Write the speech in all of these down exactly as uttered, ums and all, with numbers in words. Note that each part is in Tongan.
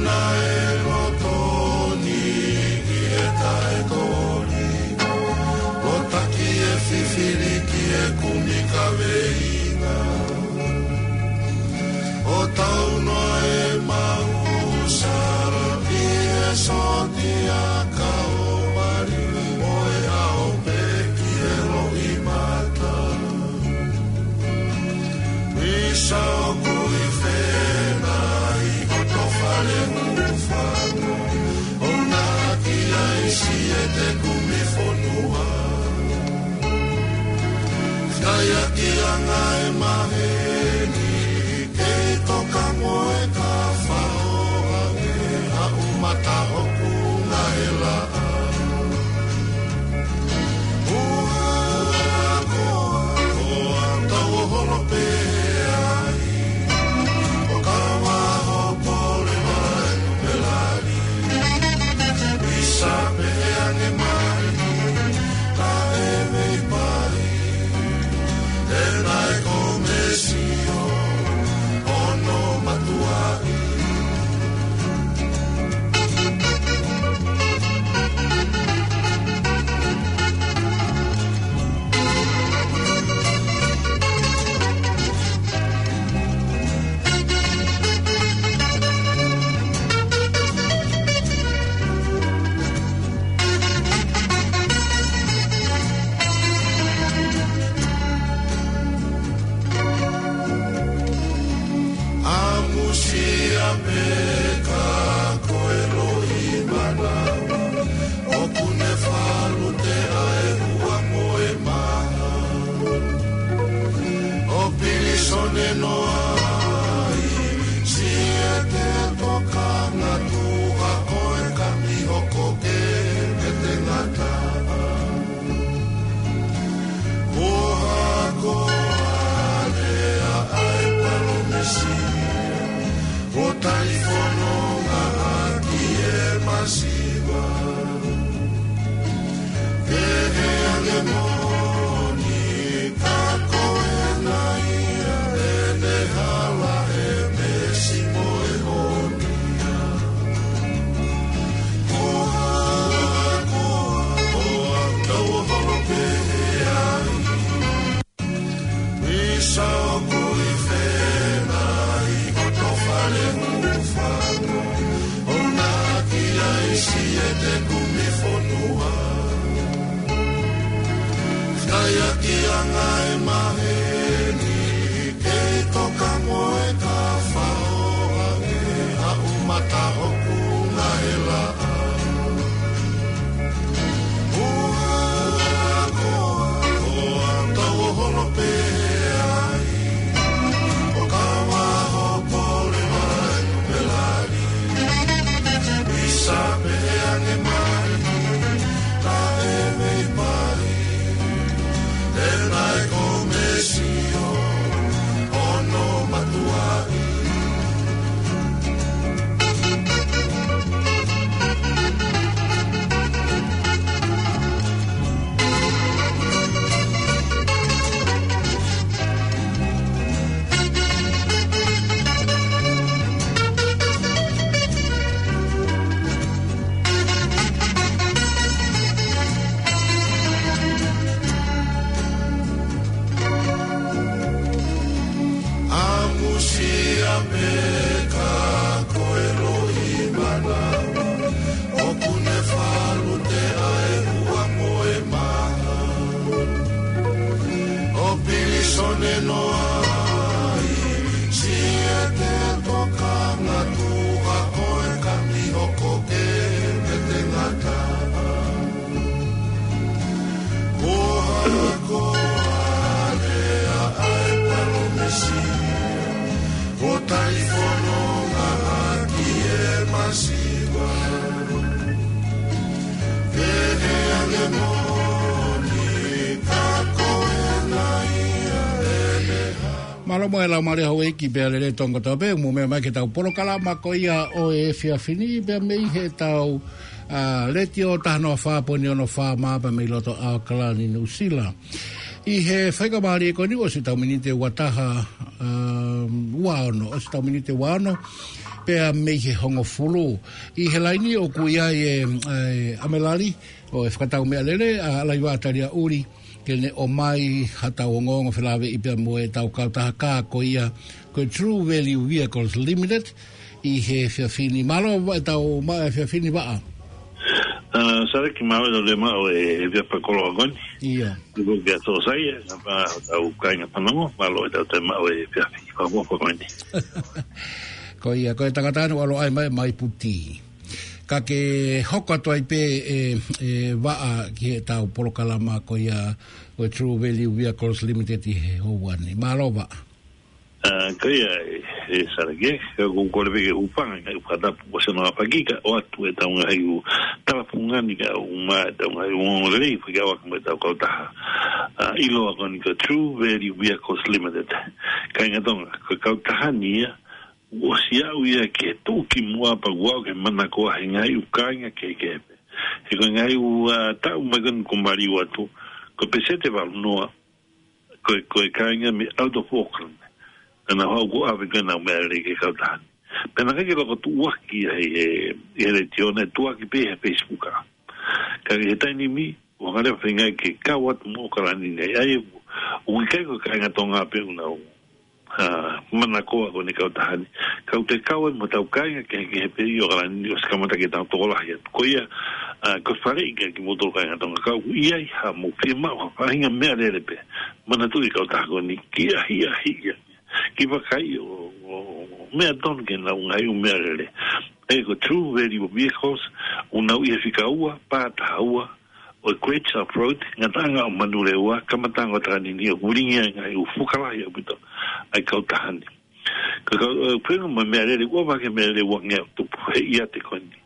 Naʻe loto ni ki he taʻe koli, lotaki e fifili ki he kumi kaveinga. ʻO tau noa e mau sala ʻi he sōtia ka ʻo mali mo e ʻao pē ki he loʻimata. Visa ʻoku ʻi fena ʻi hoto fale hūfanga, ʻo naki ai siʻete kumi fonua. Fai ʻaki anga e maheni, kei toka mo e ka fao ange, haʻu mata ʻoku ngahe laʻa. Ua koa, koa, tau holo pē ai. ʻO ka vaho pole mai, pelali. Visa pē ange mai, ka e vei pai. E nai ko Mesio, ono matuaʻi. ʻAmusia pē ka ko e loʻimata, ʻoku ne falu te ae ua mo e maha. ʻO pilisone noa ai, siʻete tokanga tuha ko e kami hoko ke pete ngata. Ko ha ko ane a ai palomesi, ko talifononga ʻaki e masiva. Pehē ange moʻoni, ka ko e nai ʻa ʻene hala e mesi mo e ʻonia. Ko ha, ko ha, ko ha, tau holo pē ai. Visa ʻoku ʻi fena ʻi hoto fale hūfanga, ʻo naki ai siʻete kumi fonua. Fai ʻaki anga e maheni, kei toka mo e ka fao ange, haʻu mata ʻoku ngahe laʻa. Ua koa, koa, tau holo pē ai. ʻO ka vaho pole mai, pelali. Visa pē ange mai, ka e vei pai. E nai ko Mesio, ono matuaʻi. ʻAmusia pē ka ko e loʻimata, ʻoku ne falu te ae ua mo e maha. ʻO pilisone noa ai, siʻete tokanga tuha ko e kami hoko ke pete ngata. Ko ha ko ane a ai palomesi, ko talifononga ʻaki e masiva. Pehē ange moʻoni, ka ko e nai ʻa ʻene ha. Mālō mo e lau male hau eiki pea lele tonga tau pē, mo mea mai ke tau polokalama ko ia ʻo e efiafi ni pea mei he tau, a, Letiō taha noa fā poini ono FM pea mei loto ʻAokalani Nuʻusila. ʻI he faingamālie ko eni ʻosi ʻetau miniti ʻe ua taha, um, ua ono, ʻosi ʻetau miniti ʻe ua ono, pea mei he hongofulu. ʻI he laini ʻoku ʻi ai ʻa e, ʻa e ʻamelali ʻo e fakatau meʻalele, ʻa Laiva Talia Uli, ke ne ʻomai haʻatau ongoongo felāveʻi pea mo ʻetau kautaha ko ia, ko e True Value Vehicles Limited, ʻi he efiafi ni. Mālō ʻetau maʻu e efiafi ni Vaʻa. ʻA, Saleki, mālō ʻetau toe maʻu e efiafi fakakoloa ko eni. ʻIo. Tuku kia Sōsai, ʻa, pea tau kāinga fanongo, mālō ʻetau toe maʻu e efiafi fakakoloa ko eni. Ko ia, ko e tangata ʻoku ʻalu ʻo ʻai mai, mai Puti. Ka ke hoko atu ai pē ē, ē Vaʻa ki heʻetau polokalama ko ia ʻo e True Value Vehicles Limited ʻi he houa ni. Mālō Vaʻa. ʻA, ko ia, ē, ē Saleki, ē, ko e kole pē ke u hūfanga he ngaahi fakatapu ʻosi hono ʻaofaki kae ʻoatu ʻetau ngaahi ʻū tala fungani kae ʻumaʻā ʻetau ngaahi ʻū ongoongolelei fekauʻaki mo ʻetau kautaha, ʻa, ʻiloa ko eni ko e True Value Vehicles Limited. Kāinga Tonga, ko e kautaha ni ia, ʻosi aʻu ia ke tuʻu ki muʻa pea ʻoku aʻu ki he manakoa ʻa e ngaahi ʻū kāinga kehekehe pē. He ko e ngaahi ʻū, ʻa, taʻu mai ko eni kuo maliu atu, ko e pēseti ʻe valu noa, ko e, ko e kāinga mei out of Auckland. Naʻa nau haʻu ʻo ʻave ko ē ʻenau meʻalele ki he kautaha ni. Pea naʻe ʻikai ke loko tuʻuaki ia he, he, he letiō, naʻe tuʻuaki pē he Facebook. Ka ʻi he taimi ni, ʻoku hanga leva ʻe he ngaahi ke kau atu mo ʻAokalani ni. ʻA ia, ʻoku ʻikai ko e kāinga Tonga pē ʻoku nau, ʻa, manakoa ko eni e kautaha ni. Ka ʻoku toe kau ai mo ʻetau kāinga kehekehe pē ʻi ʻAokalani ni ʻosi kamata ke tau tokolahi atu. Ko ia, ʻa, ko e faleʻi kia kimoutolu kāinga Tonga, ka ʻoku ʻi ai haʻamou fiemaʻu ha faʻahinga meʻalele pē, manatuʻi e kautaha ko eni, kiʻi ʻahiʻahiʻi ia, kiʻi vakai ʻo, ʻo, ʻo meʻa tonu ki heʻenau ngaahi ʻū meʻalele. ʻA ia ko e True Value Vehicles, ʻoku nau ʻi he fika ua, pā taha ua ʻo e Quaitsa Road, ngataʻanga ʻo Manurewa, kamataʻanga ʻo Takanini, ʻoku lilingi ai e ngaahi ʻū fuka lahi ʻaupito ʻa e kautaha ni. Ka, ka, ē, pea mo e meʻalele, ʻoku ʻave hake e meʻalele ʻe uangeau tupu he ʻiate ko eni.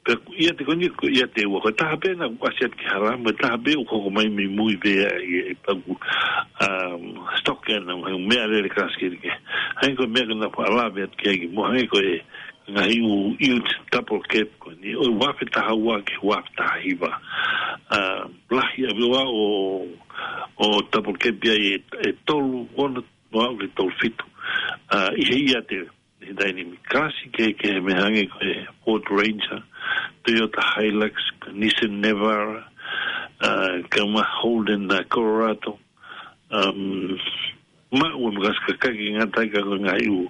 Pea ko e ʻiate ko eni, ko e ʻiate ʻe ua, ko e taha pē naʻe ʻasi atu ki hala, mo e taha pē ʻoku hoko mai mei mui pē ia ʻi he paku, um, stock ʻenau ngaahi ʻū meʻalele kalasi kehekehe. Hangē ko e meʻa ko ē naʻa faʻa lave atu ki ai kimuʻa, hangē ko e ngaahi ʻū ute double cab ko eni, ʻo e uaafe taha ua ki he uaafe taha hiva. ʻA, lahi ʻaupito ʻo, ʻo double cab ia ʻe, ʻe tolu ono noa ʻo ki he tolu fitu. ʻA, ʻi he ʻiate, ʻi he taimi ni, kalasi kehekehe, meʻa hangē ko e Ford Ranger, Toyota Hilux, Nissan Navara, ʻa, kae ʻumaʻā Holden, ʻa, Colorado, um, maʻu e makasi kakai ke ngata ai ka ko e ngaahi ʻū,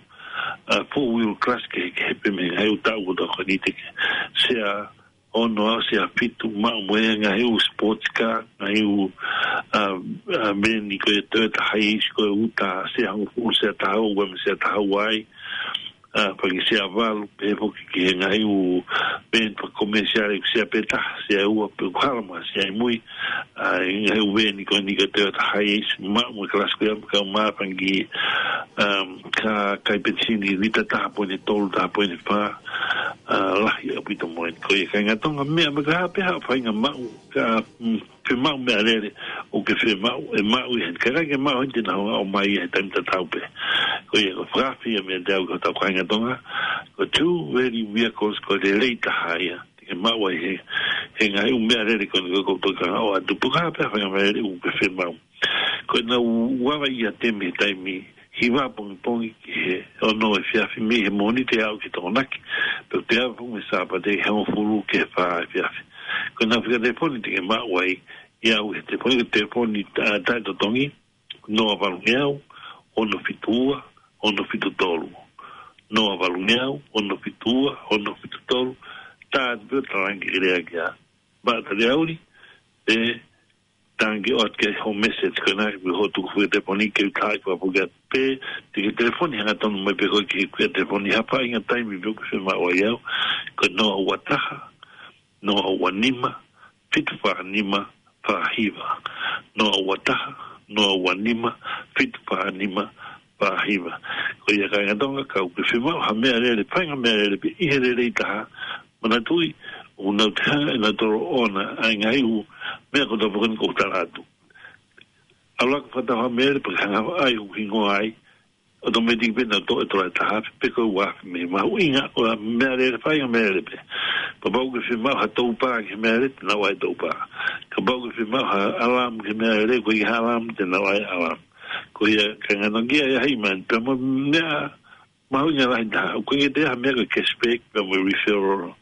ʻa, four wheel kalasi kehekehe pē mei he ngaahi ʻū taʻu kotoa ko eni, te ke sea ono afe, sea fitu, maʻu mo e ngaahi ʻū sports car, ngaahi ʻū, ʻa, ʻa, veni ko e Toyota Hiace, ko e uta sea hongofulu, sea taha ua, ua mo e sea taha ua ai, ʻa, fanga sea valu, pehē foki ki he ngaahi ʻū veni fakakomesiale, sea pē taha, sea ua, pe ʻoku hala mo ha sea ʻi mui, ʻa, ʻi he ngaahi ʻū veni ko eni ko e Toyota Hiace, maʻu mo e kalasi ko ia, kae ʻumaʻā fanga, um, kā kai penisini, lita taha poini tolu, taha poini fā, ʻa, lahi ʻaupito mo eni. Ko ia kāinga Tonga, meʻa mai, ka ʻi ai pē ha faʻahinga maʻu, ka, mm, fiemaʻu meʻalele, ʻoku ke fiemaʻu, ʻe maʻu ia heni. Ka ʻikai ke maʻu heni, te nau hanga ʻo ʻomai ia he taimi tatau pē. Ko ia, ko e fakaafe ia meiate au ki hotau kāinga Tonga, ko e True Value Vehicles, ko e lelei taha ia te ke maʻu ai he, he ngaahi ʻū meʻalele ko eni ko ē ʻoku ou toki hanga ʻo ʻoatu, pe ko e hā pē ha faʻahinga meʻalele ʻoku ke fiemaʻu. Ko ʻenau ava ʻiate mei he taimi hiva pongipongi ki he ono efiafi, mei he Mōnite ʻo aʻu ki he Tokonaki, pea toe ava foki mei he Sāpate he hongofulu ki he fā efiafi. Ko ʻenau fika telefoni te ke maʻu ai ia ʻi he telefoni, ko e telefoni ta-, taʻetotongi, noa valu ngeau, ono fitu ua, ono fitu tolu. Noa valu ngeau, ono fitu ua, ono fitu tolu. Tā atu pē ʻo talaange ke lea kia Vaʻa Talia Uli, pe talaange ʻo ʻoatu ki ai hoʻo message ko ena, pe hoʻo tuku fika telefoni ke u taaʻi fakapuke atu, pe te ke telefoni hangatonu mai pē koe ki he fika telefoni ha faʻahinga taimi pē ʻoku ke fiemaʻu ai au, ko e noa ua taha, noa ua nima, fitu fā nima, fā hiva. Noa ua taha, noa ua nima, fitu fā nima, fā hiva. Ko ia kāinga Tonga, ka ʻoku ke fiemaʻu ha meʻalele, faʻahinga meʻalele pē ʻi he lelei taha, manatuʻi, ʻoku nau toe hanga ʻe nautolu ʻo ʻoange ʻa e ngaahi ʻū meʻa kotoa pē ko eni ʻoku ou tala atu. ʻAlu ā ke fakatau ha meʻalele pea ke hanga ʻo ʻai hoku hingoa ai, ʻotometiki pē naʻa nau toʻo e tola ʻe taha afe pe ko e ua afe mei he mahuʻinga ʻo e meʻalele, faʻahinga meʻalele pē. Kapau ʻoku ke fiemaʻu ha toupā ki he meʻalele, te nau ʻai e toupā. Kapau ʻoku ke fiemaʻu ha alarm ki he meʻalele, ko e ʻikai ha alarm, te nau ʻai e alarm. Ko ia, kāinga, nau ki ai ʻahiʻahi mai, pea mo e meʻa mahuʻinga lahi taha, ʻoku ʻikai ke toe ʻi ai ha meʻa ko e cashback, pea mo e referral,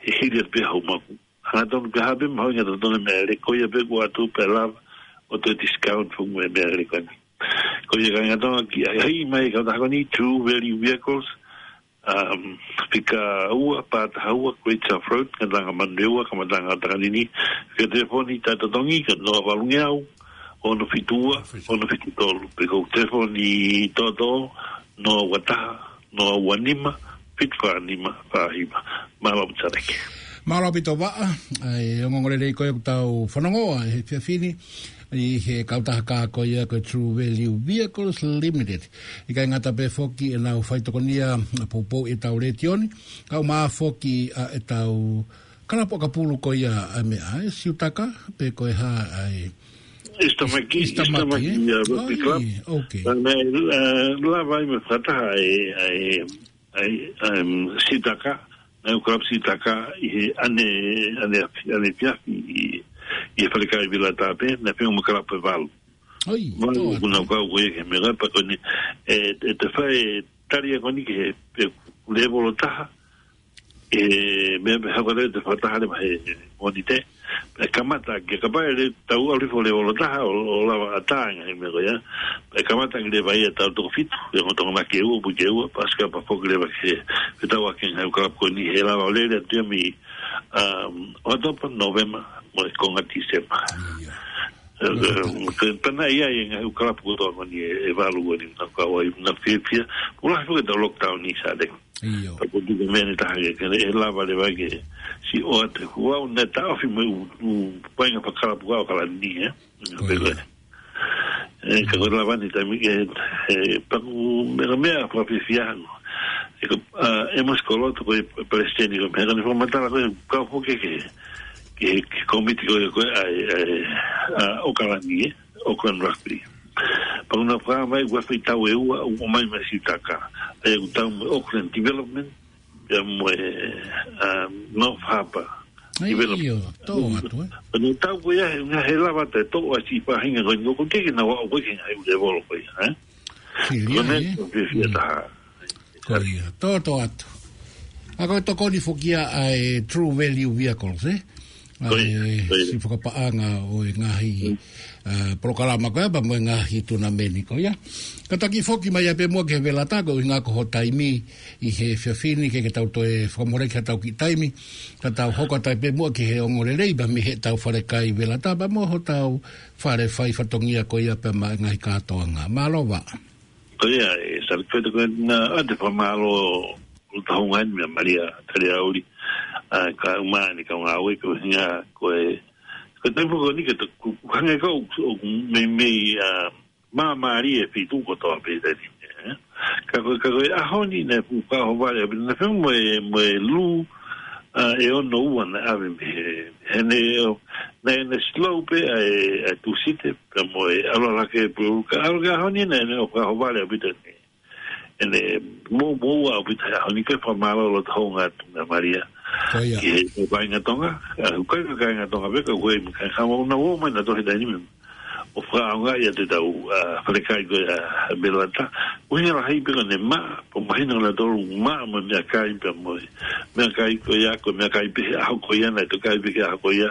he hili atu pē hoʻo maʻu. Hangatonu pē ha meʻa mahuʻinga totonu e meʻalele, ko ia pē kuo ʻoatu pē lava ʻo toe discount foki mo e meʻalele ko eni. Ko ia, kāinga Tonga, ki ai, ʻahiʻahi mai e kautaha ko eni, True Value Vehicles, um, fika ua, pā taha ua, Great South Road, Ngataʻanga Manurewa, Kamataʻanga ʻo Takanini. Fika telefoni taʻetotongi ko e noa valungeau, ono fitu ua, ono fitu tolu. Pe ko e telefoni toʻotoʻo, noa ua taha, noa ua nima, fitu fā nima, fā hiva. Mālō ʻaupito Saleki. Mālō ʻaupito Vaʻa, ʻa e ongoongolelei ko ia ʻoku tau fanongoa he efiafi ni, ʻi he kautaha ko ia ko e True Value Vehicles Limited. ʻIkai ngata pē foki ʻenau faitokonia ʻa poupou ʻi heʻetau letiō ni, kae ʻumaʻā foki ʻa ʻetau kalapu ʻakapulu ko ia ʻa e meʻa, ʻa e Siutaka, pe ko e hā ʻa e East Tamaki, East Tamaki, East Tamaki, ē? ʻIa, Rugby Club. ʻOi, ok. Naʻe, eh, lava ai mo e fakataha ʻa e, ʻa e, ʻa e, um, Siutaka, Ngaahi ʻEiki Kalapu Siutaka ʻi he ʻaneafi, ʻaneafi ʻi, ʻi he falekai Velata pē, naʻe feinga mo e kalapu ʻe valu. ʻOi, Valu tō atu. Kuna kau ko ia ki he meʻa pea ko eni, ʻe, ʻe toe fai e tali ko eni ki he, he lēvolo taha, ʻe, meʻa pē hoko atu e fakataha leva he Mōnite. Pea kamata ke kapau ʻe tau ʻalu hifo lēvolo taha ʻo, ʻo lava ʻatā e ngaahi meʻa ko ia. Pea kamata ke leva ia ʻa e tau toko fitu, ʻi he ongo Tokonaki ʻe ua, Buike ʻe ua, Pasika pea foki leva ki he, ke tau ʻaki e ngaahi ʻEiki Kalapu ko eni he lava ʻo lele atu ia mei, um, ʻOkatopa, Nōvema, mo e konga Tīsema. ʻIa. Eh, eh, ke pana ia e ngaahi ʻEiki Kalapu kotoa ko eni ʻe, ʻe valu ko eni naʻa ku kau ai, naʻa fiefia. Pea lahi foki ʻetau lockdown ni, Saleki. ʻIo. Pea ko e tuku meʻa ni taha ke, ke ʻe lava leva ke siʻi ʻoatu. Kuo u ʻalu ʻo taʻofi mo e ʻū, ʻū paʻanga fakakalapu ko ʻAokalani, ē? Ko ia. Pea ko e, eh, ka ko e lava ni taimi ke, eh, pea ko e meʻa, meʻa fakafiefia ange. ʻE ko, ah, ʻEmosi Koloto ko e palesiteni ko e meʻa, ka ne fakamatala ko e kau foki ki he, ki he, ki he kōmiti ko e, ko e, ʻa e, ʻa e, ʻa ʻAokalani, ē? Auckland Rugby. Pea ko ʻena fakamai ua fai tau ʻe ua, ʻo ʻomai mai Siutaka. ʻA ia ʻoku tau mo e Auckland Development, pea mo e, um, North Harbour Development. ʻIo, tō atu, ē? Pea ne tau ko ia, he, he lava ʻo toʻo ʻa e siʻi faʻahinga ko eni, ʻoku teʻeki ke nau aʻu ko ē ki he ngaahi lēvolo ko ia, ē? Sili ai, ē? Ko e meʻa ko e fiefia taha. Ko ia, tō, tō atu. ʻA ko e tokoni foki ia ʻa e True Value Vehicles, ē? ʻA e, ko ia, ko ia, siʻi fakapaʻanga ʻo e ngaahi, ah, polokalama ko ia, pea mo e ngaahi tunameni ko ia. Kātaki foki mai ai pē muʻa ki he Velata, ko e ʻuhinga ko hoʻo taimi ʻi he efiafi ni, ke, ke tau toe fakamoleki haʻatau kiʻi taimi, ka tau hoko atu ai pē muʻa ki he ongoongolelei, pea mei heʻetau falekai Velata, pea mo hotau fale fai fatongia ko ia pea mo e ngaahi kātoanga. Mālō Vaʻa. Ko ia, ē, Saleki, ko ena ʻa e fakamālō ʻoku tau ngaahi meʻa Malia Taliauli, ʻa, kae ʻumaʻā ʻene kau ngāue, ko e ʻuhinga ko e, ko e taimi ko eni ke tau, ʻoku hangē ko e, ʻoku meimei, ʻa, māmālie e feituʻu kotoa pē taimi ni, ē. Ka ko e, ka ko e ʻaho ni naʻe fuʻu fakaʻohovale ʻaupito, naʻe feinga mo e, mo e lū, ʻa, ʻe ono ua naʻe ʻave mei he, he ne, naʻe, naʻe slow pē ʻa e, ʻa e Tūsite, pea mo e ʻalu ʻalu hake Pulelulu, ka ʻalu ki he ʻaho ni naʻe, naʻe fakaʻohovale ʻaupito ʻene, ʻene mou, moua ʻaupito he ʻaho ni, ke fakamālō loto hounga atu meʻa Malia. Ko ia. Ki he, ki he kāinga Tonga, ʻa, ʻoku ʻikai ko e kāinga Tonga pē, ka ko e kāinga Haʻamoa naʻa nau ō mai nautolu he taimi ni ʻo fakaʻaongaʻi ʻa ʻetau, ʻa, falekai ko ia ʻa Velata. ʻUhinga lahi pē ko ʻene maʻa, pea mahino nautolu maʻa mo e meʻakai pea mo e meʻakai ko ia, ko e meʻakai pē he ʻaho ko ia, naʻe toki kai pē he ʻaho ko ia,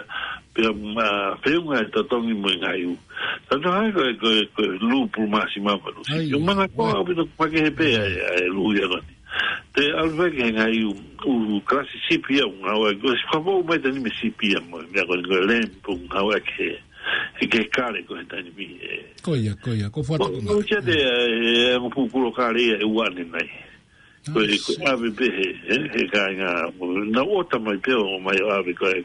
pea, ʻa, feʻunga e totongi mo e ngaahi ʻū. Tau tau hai ko e, ko e, ko e lū pulu māsima mo e lū sipi. ʻAi. ʻOku mana ko ʻaupito, makehe pē ʻa e, ʻa e lū ia ko eni. Te ʻalu pē ki he ngaahi ʻū, ʻū kalasi sipi ia ʻoku ngāueʻaki, ʻosi fakapō mai taimi ni mei he sipi ia mo e meʻa ko eni ko e lem, ʻoku ngāueʻaki he, he kale ko e taimi ni, ē. Ko ia, ko ia, ko fatu ko ʻoku ngaahi. ʻOku ʻi ai e, e, e, mo pukuro kale ia ʻe ua ʻanenai. Ko e, ko e ʻave pē he, he, he kāinga, mo, naʻa nau ʻota mai pē ʻo mai ʻo ʻave ko e,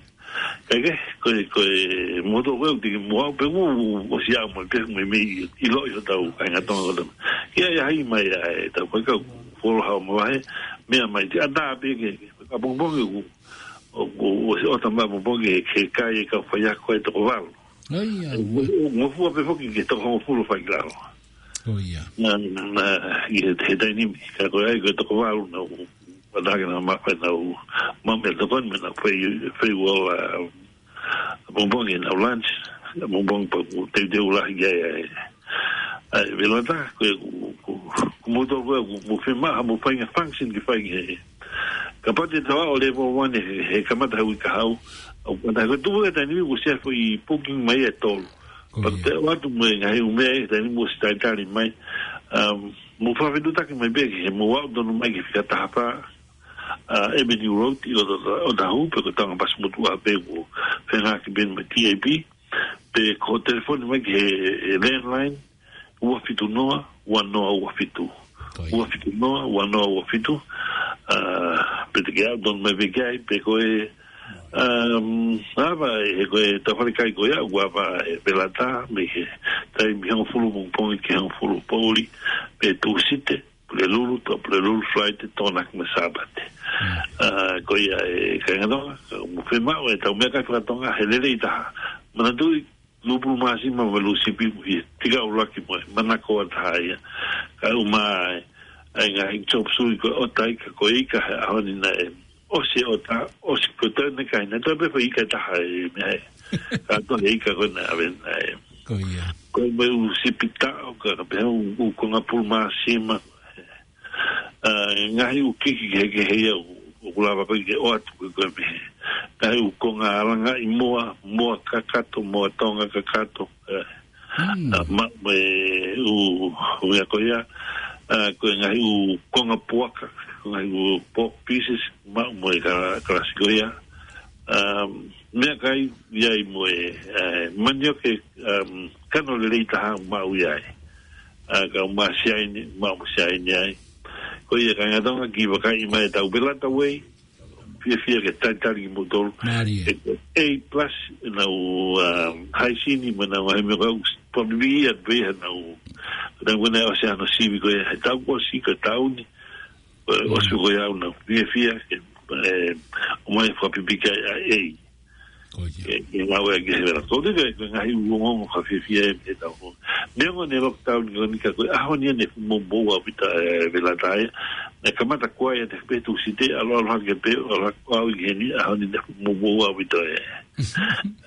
kae kehe, ko e, ko e motu ko ē, ʻoku teʻeki mo au pē ʻoku, ʻosi aʻu mai pē, meimei ʻiloʻi hotau kāinga Tonga kotoa. ʻIa, ʻi ai mai ʻa e, tau ko e kau, folo hao mo vahe, meʻa mai te ata pē ke, ke, ka pongipongi ʻoku, ʻoku, ʻosi ʻota mai pongipongi ke, ke kai e kau faiako ʻe toko valu. ʻAi, ʻa, ʻo, ʻo, ngofua pē foki ke toko hongofulu fai ki lalo. Ko ia. Na, na, ʻi he, he taimi ni, ka ko e ai, ko e toko valu naʻa ku, ʻa naʻa ke na ma, naʻa ku, ma me toko ni, me naʻa ku fai, fai ua la, pongipongi naʻa ku lunch, pongipongi pea ku teuteu lahi ki ai, ʻa e, ʻa e velata, ko e, ku, ku, ku mo to, ko e, ku, mo fema, mo fai ngaahi function ke fai he, kapau te tau ō level one he, he kamata he uike kahaʻu, ʻa, ʻa, ko e tuʻu he taimi ni, ko e sia foʻi booking mai e tolu. Ko ia. Pea te ʻoatu mo e ngaahi ʻū meʻa he taimi ni mo si talitali mai. Um, mo fakafetuʻutaki mai pē ki he mo aʻu tonu mai ki he fika taha fā, uh, Avenue Road ʻi ʻOta-, ʻOtahuhu pe ko e taunga pasi motuʻa pē ko fengaki pē mo e T A P. Pe ko e telefoni mai ki he, he landline, ua fitu noa, ua noa ua fitu. Ko ia. Ua fitu noa, ua noa ua fitu. Uh, pe te ke aʻu tonu mai pē ki ai, pe ko e Um, ava, he ko e tau falekai ko ia, ua ava e velata, mei he taimi hongofulu pongipongi ki hongofulu poʻuli, pe Tūsite, Pulelulu, to Pulelulu, Friday, Tokonaki mo e Sāpate. Mm. Uh, ko ia e kāinga Tonga, ka mo femaʻu e tau meʻakai fakatonga, he lelei taha. Manatuʻi, lūpulu māsima mo e lūsipi mo e tika ʻuluaki mo e manako ʻa taha ia. Ka ʻuma ai, ʻa e ngaahi chop suey ko e ʻota ika, ko e ika he ʻaho ni naʻe ʻosi e ʻota, ʻosi ko e tau ne kai, naʻe tau pē foʻi ika ʻe taha e meʻa e. Ka ko e ika ko ē naʻe ʻave naʻe. Ko ia. Ko e mo e ʻū sipi taʻo, ka, ka pehē ʻū, ʻū konga pulu māsima. ʻA, ngaahi ʻū kiki kehekehe ia ʻoku, ʻoku lava ko ē ke ʻoatu ko ē ko e meʻa. Ngaahi ʻū konga alangaʻi moa, moa kakato, moa Tonga kakato, ē. Mm. ʻA, ma, mo e ʻū, ʻū ia ko ia, ʻa, ko e ngaahi ʻū konga puaka, ko e ngaahi ʻū pork pieces, ma, mo e ka, kalasi ko ia. Um, meʻakai ia ʻi mo e, ē, manioke, um, kano lelei taha maʻu ia ai. ʻA, ka ʻuma siaine, maʻu siaine ai. Ko ia kāinga Tonga kiʻi vakai mai e tau velata wei, fiefia ke talitali kimoutolu. Mālie. E, A plus, ʻenau, um, haisini, mo ʻenau ngaahi meʻa kau, pamili ia pē ʻenau, ʻenau kona ʻosi ano sivi ko ia, he tau ʻosi, ko e tau ni, ʻo, Mm. ʻosi ko ia ʻenau, fiefia, ke, ē, ʻomai fakapipiki ai, ʻa e. Ko ia. Ke, ke ngāue ki he velata. Ko e, ko e ngaahi ongoongo fakafiefia ē, ʻe tau. Neongo ʻene lockdown ko eni ka ko e ʻaho ni ʻene fuʻu momoʻua ʻaupito e velata ia. Naʻe kamata ko ia he pē Tūsite, ʻalu ʻalu hake pē, ʻalu hake au ʻi heni, ʻaho ni ʻene fuʻu momoʻua ʻaupito e.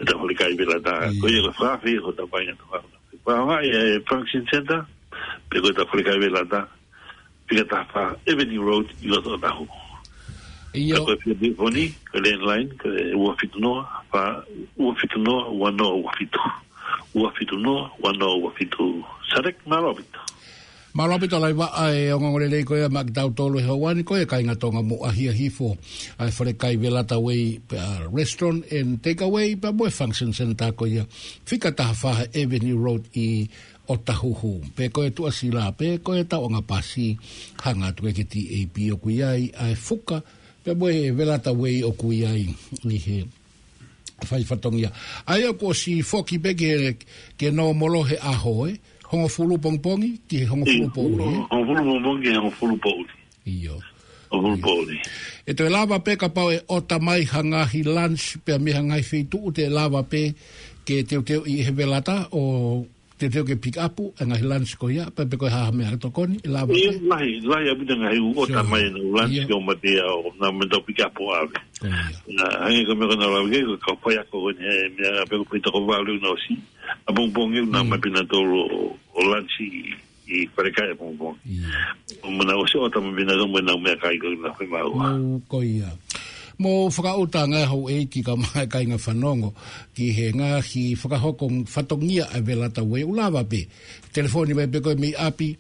Tau falekai velata. Ia. Ko ia ko e fakaafeʻi ko e tau kāinga Tonga. Fakaafeʻi e function center, pe ko e tau falekai velata. Fika taha fā Avenue Road ʻi ʻOtahuhu. ʻIo. Ka ko e fia telefoni, ko e landline, ko e ua fitu noa, fā, ua fitu noa, ua noa ua fitu. Ua fitu noa, ua noa ua fitu. Sadek, mālō ʻaupito. Mālō ʻaupito Laiva, ʻa e ongoongo lelei ko ia maʻa kitautolu he houa ni, ko e kāinga Tonga mo ʻahiʻahi hifo ʻa e falekai velata wei, ʻa, restaurant and takeaway, pea mo e function center ko ia. Fika taha fā Avenue Road ʻi ʻOtahuhu, pe ko e Tuʻasila, pe ko e tauʻanga pasi, hanga atu ki he T A P ʻoku ʻi ai ʻa e fuka, pea mo e velata wei ʻoku ʻi ai ʻi he fai fatongia. ʻA ia kuo ʻosi foki pē ki he, ki he nōmolo he ʻaho, ē? Hongofulu pongipongi, ki he hongofulu Io, poʻuli, ē? Hongofulu pongipongi, ki he hongofulu poʻuli. ʻIo. Hongofulu poʻuli. ʻE toe lava pē kapau ʻe ʻota mai ha ngaahi lunch, pea mei ha ngaahi feituʻu te lava pē ke teuteu ʻi he velata ʻo teuteu ke pick up e ngaahi lunch ko ia, pe, pe ko e hā ha meʻa tokoni, ʻe lava ʻIo, pē. Lahi, lahi ʻaupito ngaahi ʻū ʻota Sure. mai ʻenau lunch Io. ki ʻo mate ʻo nau mei tau pick up ʻo ʻave. Ko ia. Na, hangē ko e meʻa ko ē naʻa ku lave ki ai, ko e kau faiako ko eni, he meʻa pe ko e foʻi toko valu naʻe ʻosi. ʻApongipongi naʻa Mm. mai pē nautolu ʻo, ʻo lunch ʻi, ʻi falekai ʻapongipongi. Ia. ʻO mana ʻosi ʻota mai pē nautolu mo ʻenau meʻakai ko ē naʻe fai maua. Mau ko ia. Mou fakaʻuta ngaahi houʻeiki kae ʻumaʻā e kāinga fanongo ki he ngaahi fakahoko fatongia ʻa e velata wei ʻoku lava pē. Telefoni mai pē koe mei ʻapi.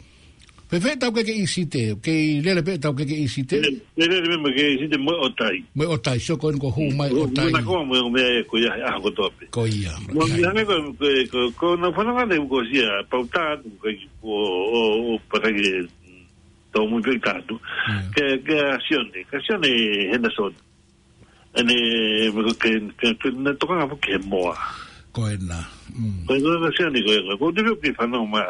Pe fē tau ke ke ʻi Site, kei lele pē tau ke ke ʻi Site. Lele, lele pē mei ke ʻi Site mo e ʻotai. Mo e ʻotai, sio ko eni ko hū mai ʻotai. Mo e nakoa mo e meʻa ē ko ia he ʻaho kotoa pē. Ko ia. Mo e hangē ko, ko, ko, ko nau fanongo ʻanai ʻoku ʻosi ia, pau tā atu, ko, ko, ʻo, ʻo, paka ke, tau mui pē tā atu. Ia. Ke, ke a Sione, ka Sione Henderson. ʻEne, ke, ke, ke, ne tokanga foki he moa. Ko ena. Mm. Ko e, ko e, ko e Sione, ko e, ko e, ko e, te pio ke fanongo mai.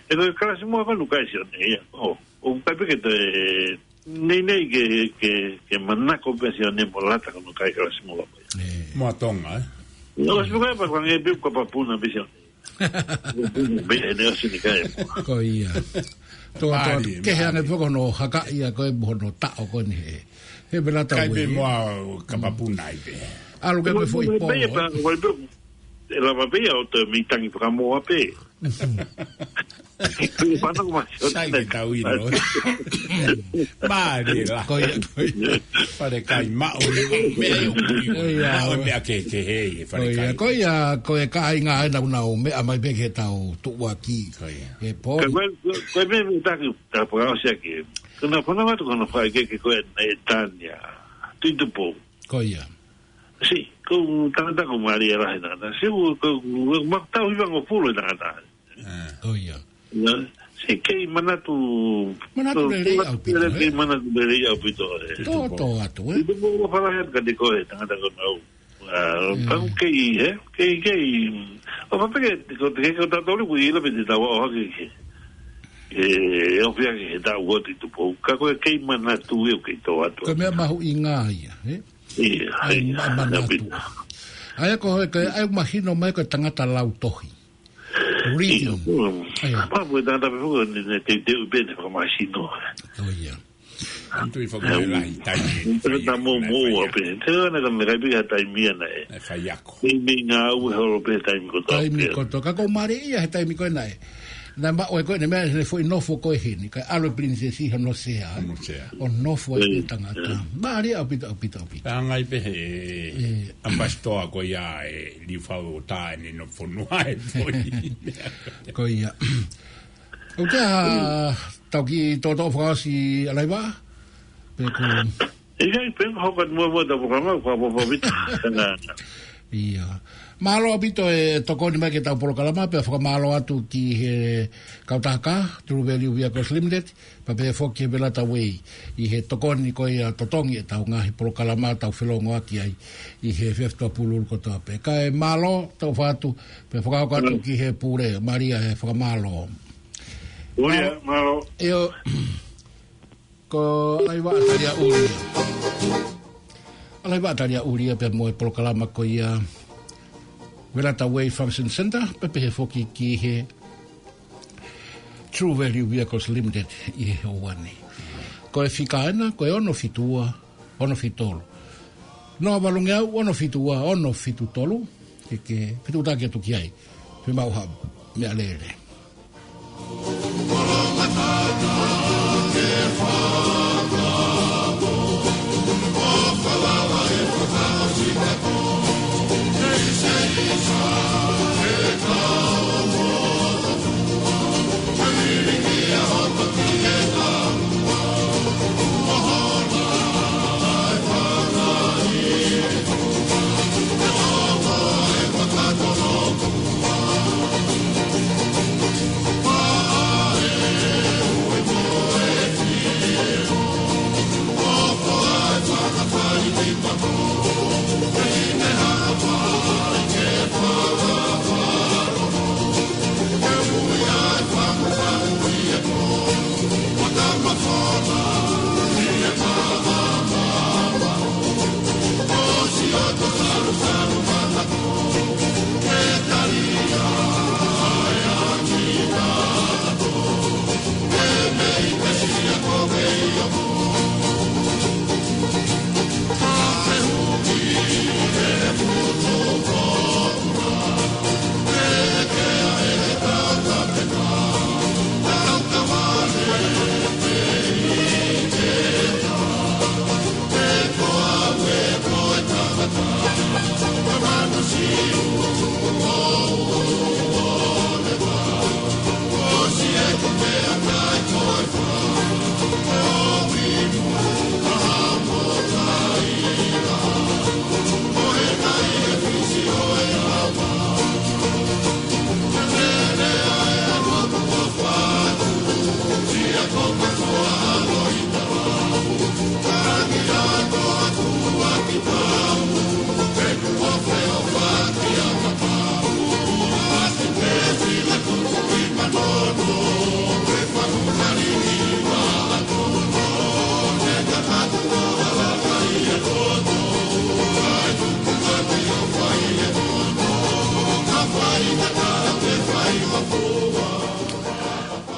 ʻE ko e kalasi moa ka nukai Sione, ia. ʻO, ʻoku ʻikai pē ke te, nei nei ke, ke, ke manako pē Sione mo lata ka nukai kalasi moa ko ia. Ē. Moa Tonga, ē? ʻO, si nukai pa, pa nge pē ka papuna pē Sione. Meʻa ʻene ʻosi ni kai. Ko ia. Tō, tō, Mālie, ke he ange mālie. Poko no haka ia ko e mo hono taʻo ko eni he. He vela tau Kai pē e. Moa kapapuna ai pē. Alu ke mo e foʻi polo. Pē, pē, pē, e lava pē ia ʻo te mi tangi pakamoa pē. Pē pana ko masi o Sai te ke tau ino. Mālie la. Ko ia, ko ia. Fale kai maʻu ni, meʻa io. Ko ia. Maʻu meʻa ke, ke he, fale Ko ia, kai. Ko ia, ko e kāinga ʻe nau nau meʻa mai pē ke tau tuʻuaki. Ko ia. He pō. Ka ko e, ko e meʻa me taki, ta paka o sia ke. Ko na pana watu ko na fai ke, ke ko e na e tania. Tuitupou. Ko ia. Si, ko tangata ko Mālia lahi tangata. Si, ko, ko, ko, ma tau hiva ngo pulu tangata. Ah. Ko ia. Na, si kei manatu, Manatu ko, lelei ko, ʻaupito, kei he? Manatu lelei ʻaupito, e. Tō, tō atu, e. Tuitupou ua fala he ka te ko e, tangata ko nau. Ah, Mm. Pau kei, he? Kei, kei. O papeke, ko te ke ko tatoli ku ila pe te tawa o hake ke. E, o fia ke he tau o Tuitupou. Ka ko e kei manatu e o kei tō atu. Ko e meʻa mahuʻinga ia, e? Ia, Ai, ia, ma-, manatu. Ia, pita. Ai, ko e, ko e, ai, mahino mai ko e tangata lau tohi. Reading. Ia, mm. Ia. Pau ko e tangata pe fuko ni, ne te, te upe ne whakamahino. Ko ia. Antu i Ia. Whakalahi taimi. Te na mou mou a pe. Te na ka me kai pika taimi ana e. E fai ako. Taimi ngā ue holo pe taimi ko tō Taimi pe. Ko tō. Ka ko Mālia ia he taimi ko ena e. Na ma o e ko ena meʻa he foʻi nofo ko e heni. Ka alo e princess i hono sea. Hono sea. ʻO nofo ai Ia. Ko e tangata. Mālia ʻaupito, ʻaupito, ʻaupito. Ka ngai pe he Ia. Ambassador ko ia e liu fau o tā ʻene nofo fonua e foʻi. Ko ia. ʻOku te ha tau ki tō tō fakaosi alaiva? Pe ko ʻIkai pe ko hoko atu muamua tau polokalama, ko hoko atu. Ia. Mālō ʻaupito e tokoni mai ke tau polokalama, pea fakamālō atu ki he kautaha kā, True Value Vehicles Limited, pea pehē foki ki he Velata Way, ʻi he tokoni ko ia totongi e tau ngaahi polokalama tau felongoaki ai, ʻi he fefto pululu kotoa pē. Kae mālō, tau fatu, pea fakahoko atu Mm. ki he pule, Mālia e fakamālō. Mālō, Mālō. mālō. ʻIo, Ko Alaiva Talia Ulia. Alaiva Talia Ulia pea mo e polokalama ko ia Velata Way Function Center, pea pehē foki ki he True Value Vehicles Limited ʻi he houa ni. Ko e fika ena, ko e ono fitu ua, ono fitu tolu. Noa Valungeau, ono fitu ua, ono fitu tolu, ke, ke, fetuʻutaki atu ki ai. Pea mau ha, meʻa lele.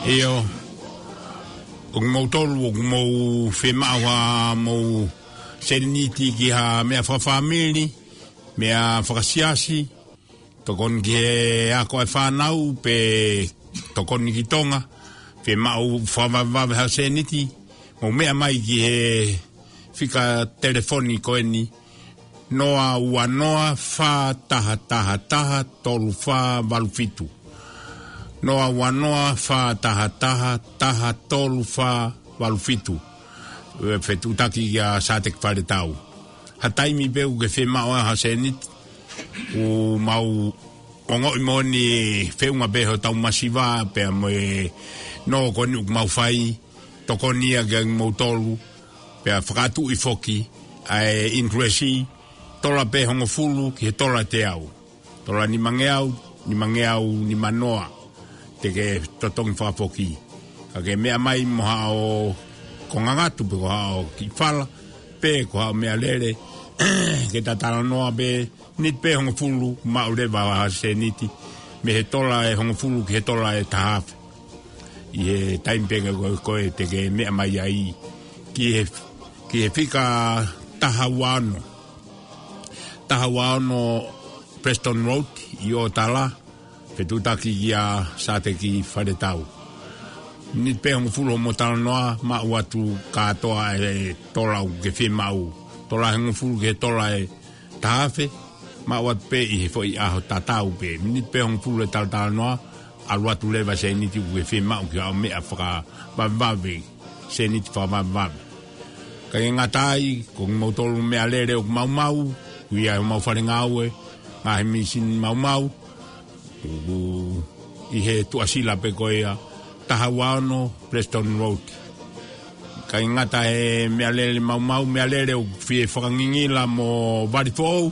ʻIo, ʻoku moutolu, ʻoku mou fiemaʻu ha mou sēniti ki ha meʻa fakafāmili, meʻa fakasiasi, tokoni ki he ako e fānau, pe tokoni ki Tonga, fiemaʻu fakavavevave ha sēniti, mou meʻa mai ki he fika telefoni ko eni, noa ua noa fā taha taha taha tolu fā valu fitu. Noa ua noa fā taha taha taha tolu fā valu fitu. ʻE fetuʻutaki kia Sāteki Faletau. Ha taimi pē ʻoku ke fiemaʻu ai ha sēniti, ʻoku mau ongoʻi moʻoni feʻunga pē hotau masiva, pea mo e nō ko eni ʻoku mau fai, tokoni ia kia moutolu, pea fakatuʻi foki ʻa e interest, tola pē hongofulu ki he tola teau. Tola nimangeau, nimangeau nimanoa, te ke totongi fakafoki. Ka ke meʻa mai mo haʻo konga ngatu pe ko haʻo kiʻi fala, pe ko haʻo meʻalele, ke ta talanoa pē, miniti pē hongofulu, maʻu leva ha sēniti, mei he tola ʻe hongofulu ki he tola ʻe taha afe. ʻI he taimi pē ko ē te ke meʻa mai ai, ki he, ki he fika taha ua ono. Taha ua ono Preston Road, ʻi Otala, fetuʻutaki kia Sāteki Faletau. Miniti pē hongofulu hoʻomo talanoa, maʻu atu kātoa e tola ʻoku ke fiemaʻu. Tola ʻe hongofulu ki he tola ʻe taha afe, maʻu atu pē ʻi he foʻi ʻaho tatau pē. Miniti pē hongofulu e talatalanoa, ʻalu atu leva sēniti ʻoku ke fiemaʻu ki haʻo meʻa fakavavevave, sēniti fakavavevave. Ka ke ngata ai, ko moutolu meʻalele ʻoku maumau, ʻoku ʻi ai homau fale ngāue, ngaahi misini maumau, ʻoku ʻi he tuʻasila pē ko ia, taha ua ono Preston Road. Ka ke ngata he meʻalele maumau, meʻalele ʻoku fie fakangingila mo vali foʻou,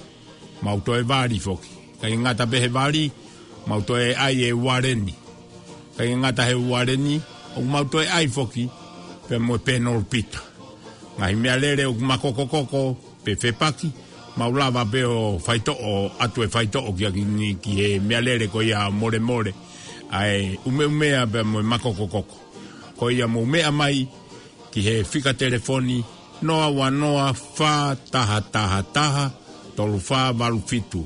mau toe vali foki. Ka ke ngata pē he vali, mau toe ʻai e ualeni. Ka ke ngata he ualeni, ʻoku mau toe ʻai foki, pea mo e penolopita. Ngaahi meʻalele ʻoku makokokoko, pe fepaki, mau lava pē ʻo faitoʻo, ʻatu e faitoʻo kia kini ki he meʻalele ko ia molemole. ʻA e ʻumeʻumea pea mo e makokokoko. Ko ia mou meʻa mai, ki he fika telefoni, noa ua noa fā taha taha taha tolu fā valu fitu.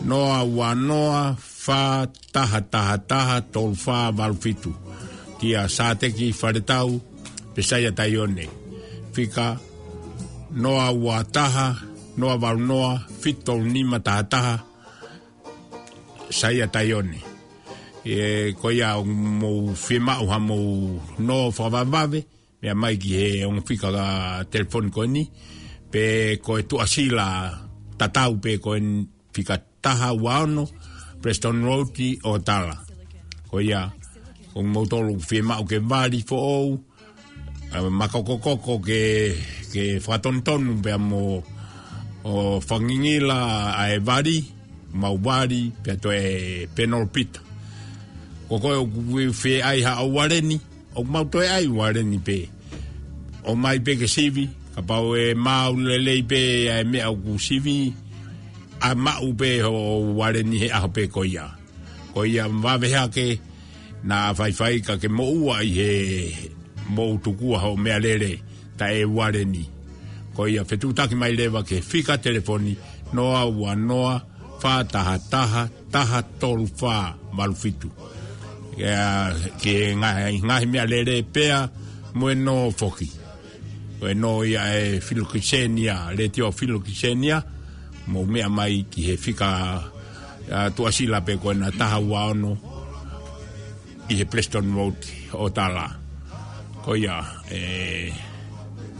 Noa ua noa fā taha taha taha tolu fā valu fitu. Kia Sāteki Faletau, pe Saia Taione. Fika noa ua taha, noa valu noa, fitu tolu nima taha taha, Saia Taione. ʻE, ko ia ʻoku mou fiemaʻu ha mou nō fakavavevave, meʻa mai ki he ongo fika telefoni ko eni, pe ko e tuʻasila tatau pē ko eni fika taha ua ono, Preston Road ʻi Otala. Ko ia, ʻoku moutolu fiemaʻu ke vali foʻou, ʻa, makokokoko ke, ke fakatonutonu pea mo, ʻo fangingila ʻa e vali, mau vali, pea toe penolopita. Ko koe ʻoku fie ʻai haʻo ualeni, ʻoku mau toe ʻai ualeni pē. ʻOmai pē ke sivi, kapau ʻe maau lelei pē ʻa e meʻa ʻoku sivi, ʻa maʻu pē ho ualeni he ʻaho pē ko ia. Ko ia vave hake, naʻa faifai ka ke moʻua ʻi he mou tukua hoʻo meʻalele, taʻe ualeni. Ko ia fetuʻutaki mai leva ki he fika telefoni, noa ua noa, fā taha taha, taha tolu fā valu fitu. Ia, ki he ngaahi, ngaahi meʻalele pea, mo e nō foki. Ko e nō ia ʻa e Filokisenia, Letiō Filokisenia, mou meʻa mai ki he fika, ʻa, tuʻasila pē ko ena taha ua ono ʻi he Preston Road, Otala. Ko ia, ʻe,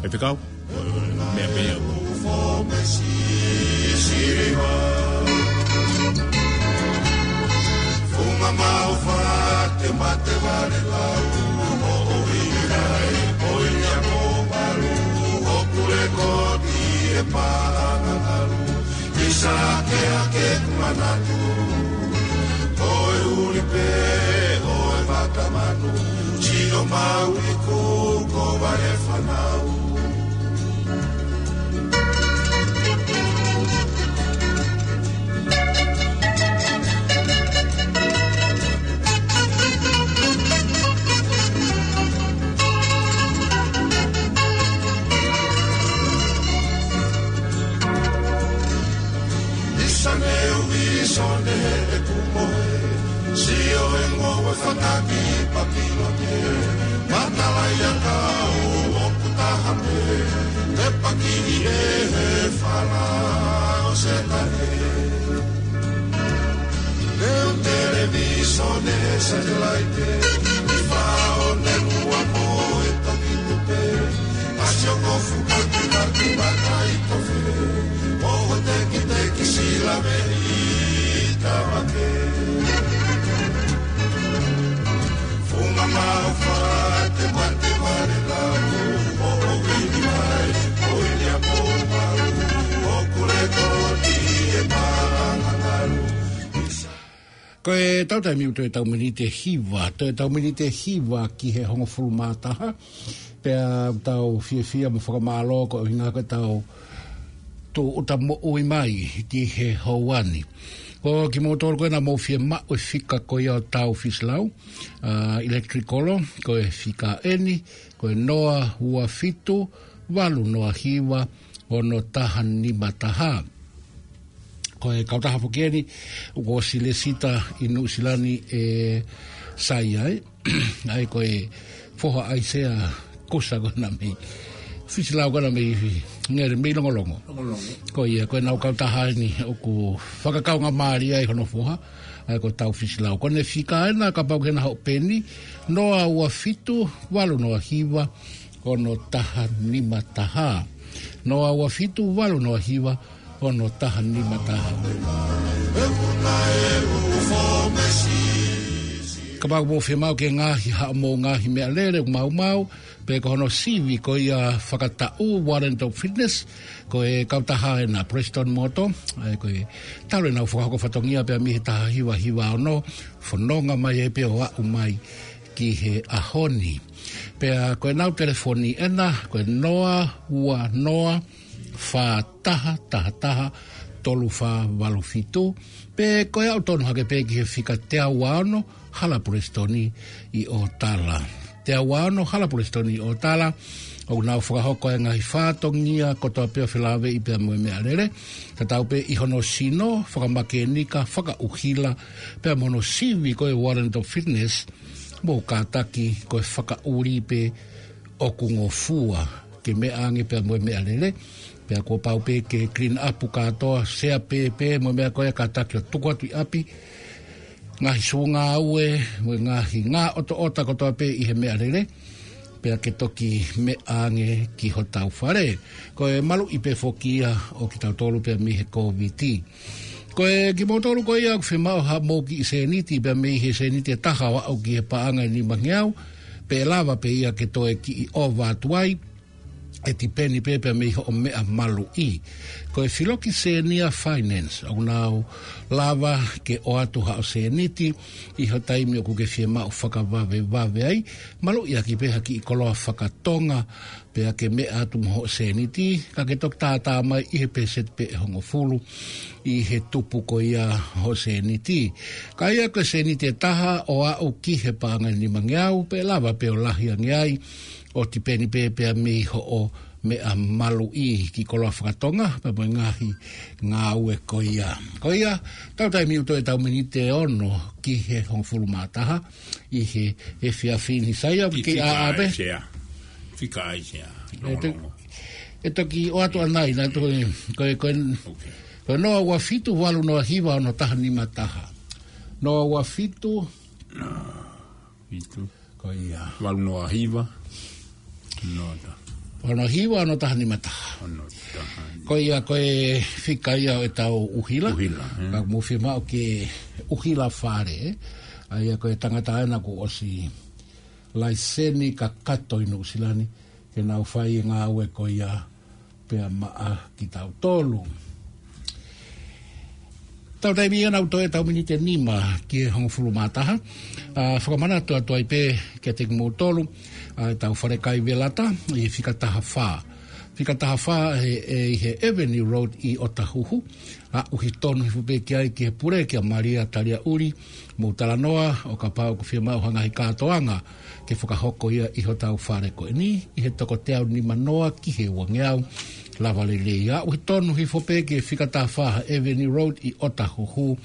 ʻe fekau, meʻa pē ia. Funga mau fate mate vale lau, o o i rai, o i a mo valu, o kule ko ti e pa anga alu, i sa ke a ke manatu, o e uli pe, o e mata manu, si o mau i ku ko vale fanau. Taki Papilone, matala ia kau ʻoku taha pē, te paki ʻi he fala ʻo Sētane. Leu televīsone satelaite, ʻi fao ne lua mo e toki tupe, ʻa sioko fuka ki maki makai tofe, mo ho teki teki sila me i tavake. Funga maʻu fate mate vale lau, o o vini mai, o ilia mo mau, o kule koti e paʻanga ngalu. Ko e tau taimi ʻoku toe tau miniti ʻe hiva, toe tau miniti ʻe hiva ki he hongofulu mā taha, pea tau fiefia mo fakamālō ko e ʻuhinga ko e tau tūʻuta moʻui mai ki he houa ni. Ko kimoutolu ko ena mou fiemaʻu e fika ko ia ʻo Tau Fisilau, ʻa, Electric Kolo, ko e fika eni, ko e noa ua fitu, valu noa hiva, ono taha nima taha. Ko e kautaha foki eni, ʻoku ʻosi lēsisita ʻi Nuʻusila ni ʻe Saia, ʻa ia ko e foha ʻaisea kusa ko ena mei Fisilau ko ena mei Ngele mei Longolongo. Longolongo. Ko ia, ko ʻenau kautaha eni ʻoku fakakaungamālie ai hono foha, ʻa ia ko Tau Fisilau. Ko ʻene fika ena kapau ʻoku ke na hoʻo peni, noa ua fitu, valu noa hiva, ono taha nima taha. Noa ua fitu, valu noa hiva, ono taha nima taha. Kapau ʻoku mou fiemaʻu ke ngaohi haʻamou ngaahi meʻalele ʻoku maumau, pe ko hono sivi ko ia fakataʻu, warrant of fitness, ko e kautaha ena Preston Motor, ʻa ia ko e talu ʻenau fakahoko fatongia pea mei he taha hiva hiva ono, fononga mai ai pē ʻo aʻu mai ki he ʻaho ni. Pea ko ʻenau telefoni ena, ko e noa ua noa, fā taha taha taha, tolu fā valu fitu, pe ko e aʻu tonu hake pē ki he fika teau ua ono, Hala Preston ʻi ʻOtala. Teau ua ono, Hala Preston ʻi ʻOtala, ʻoku nau fakahoko e ngaahi fatongia kotoa pē ʻo felāveʻi pea mo e meʻalele, tatau pē ʻi hono sino, fakamakēnika, fakaʻuhila, pea mo hono sivi ko e warrant of fitness, mou kātaki ko e fakaʻuli pē ʻoku ngofua ke meʻa ange pea mo e meʻalele, pea kuo pau pē ke clean up kātoa, sea pē pē mo e meʻa ko ia kātaki ʻo tuku atu ʻi ʻapi, ngaahi sū ngāue, mo e ngaahi ngāʻotoʻota kotoa pē ʻi he meʻalele, pea ke toki meʻa ange ki hotau fale. Ko e maluʻi pē foki ia ʻo kitautolu pea mei he Kōviti. Ko e kimoutolu ko ia ʻoku fiemaʻu haʻamou kiʻi sēniti pea mei he sēniti ʻe taha ʻo aʻu ki he paʻanga ʻe nimangeau, pe ʻe lava pē ia ke toe kiʻi ʻova atu ai, ʻe tipeni pē pea mei hoʻo meʻa maluʻi. Ko e Filoki Senior Finance, ʻoku nau lava ke ʻoatu haʻo sēniti ʻi ho taimi ʻoku ke fiemaʻu fakavavevave ai, maluʻi ʻaki pē ha kiʻi koloa fakatonga, pea ke meʻa atu mo hoʻo sēniti, ka ke toki tātā mai ʻi he pēseti pē ʻe hongofulu ʻi he tupu ko ia hoʻo sēniti. Ka ia ko e sēniti ʻe taha ʻo aʻu ki he paʻanga ʻe nimangeau, pe ʻe lava pē ʻo lahi ange ai, ʻo tipeni pē pea mei hoʻo meʻa maluʻi, kiʻi koloa fakatonga, pea mo e ngaahi ngāue ko ia. Ko ia, tau taimi ʻoku toe tau miniti ʻe ono ki he hongofulu mā taha, ʻi he efiafi ni. Saia, ʻoku ke fika ʻā pē? ʻAisea. Fika ʻaisea. ʻE to-, Longolongo. ʻE toki ʻoatu ʻanai, na to-, ko e, ko e, Ok. ko e noa ua fitu, valu noa hiva, ono taha nima taha. Noa ua fitu. Fitu. Ko ia. Valu noa hiva. Nota. Valu noa hiva, ono taha nima taha. Ono taha. Ko ia, ko e fika ia ʻo ʻetau ʻuhila. ʻUhila, ē. Ka mou fiemaʻu ke ʻuhila fale, ē. ʻA ia ko e tangata ena kuo ʻosi laiseni kakato ʻi Nuʻusila ni, ke nau fai e ngāue ko ia pea maʻa kitautolu. Tau taimi ia ʻoku toe tau miniti ʻe nima ki he hongofulu mā taha. ʻA, fakamanatu atu ai pē kiate kimoutolu, ʻa, ʻetau falekai velata, ʻi he fika taha fā. Fika taha fā ʻe, ʻe, ʻi he Avenue Road ʻi ʻOtahuhu. ʻAʻu ʻi tonu hifo pē ki ai ki he pule kia Malia Taliaʻuli, mou talanoa, ʻo kapau ʻoku fiemaʻu ha ngaahi kātoanga ke fakahoko ia ʻi hotau fale ko eni, ʻi he toko teau nima noa ki he uangeau, lava lelei. ʻAʻu ʻi tonu hifo pē ki he fika taha fā Avenue Road ʻi ʻOtahuhu,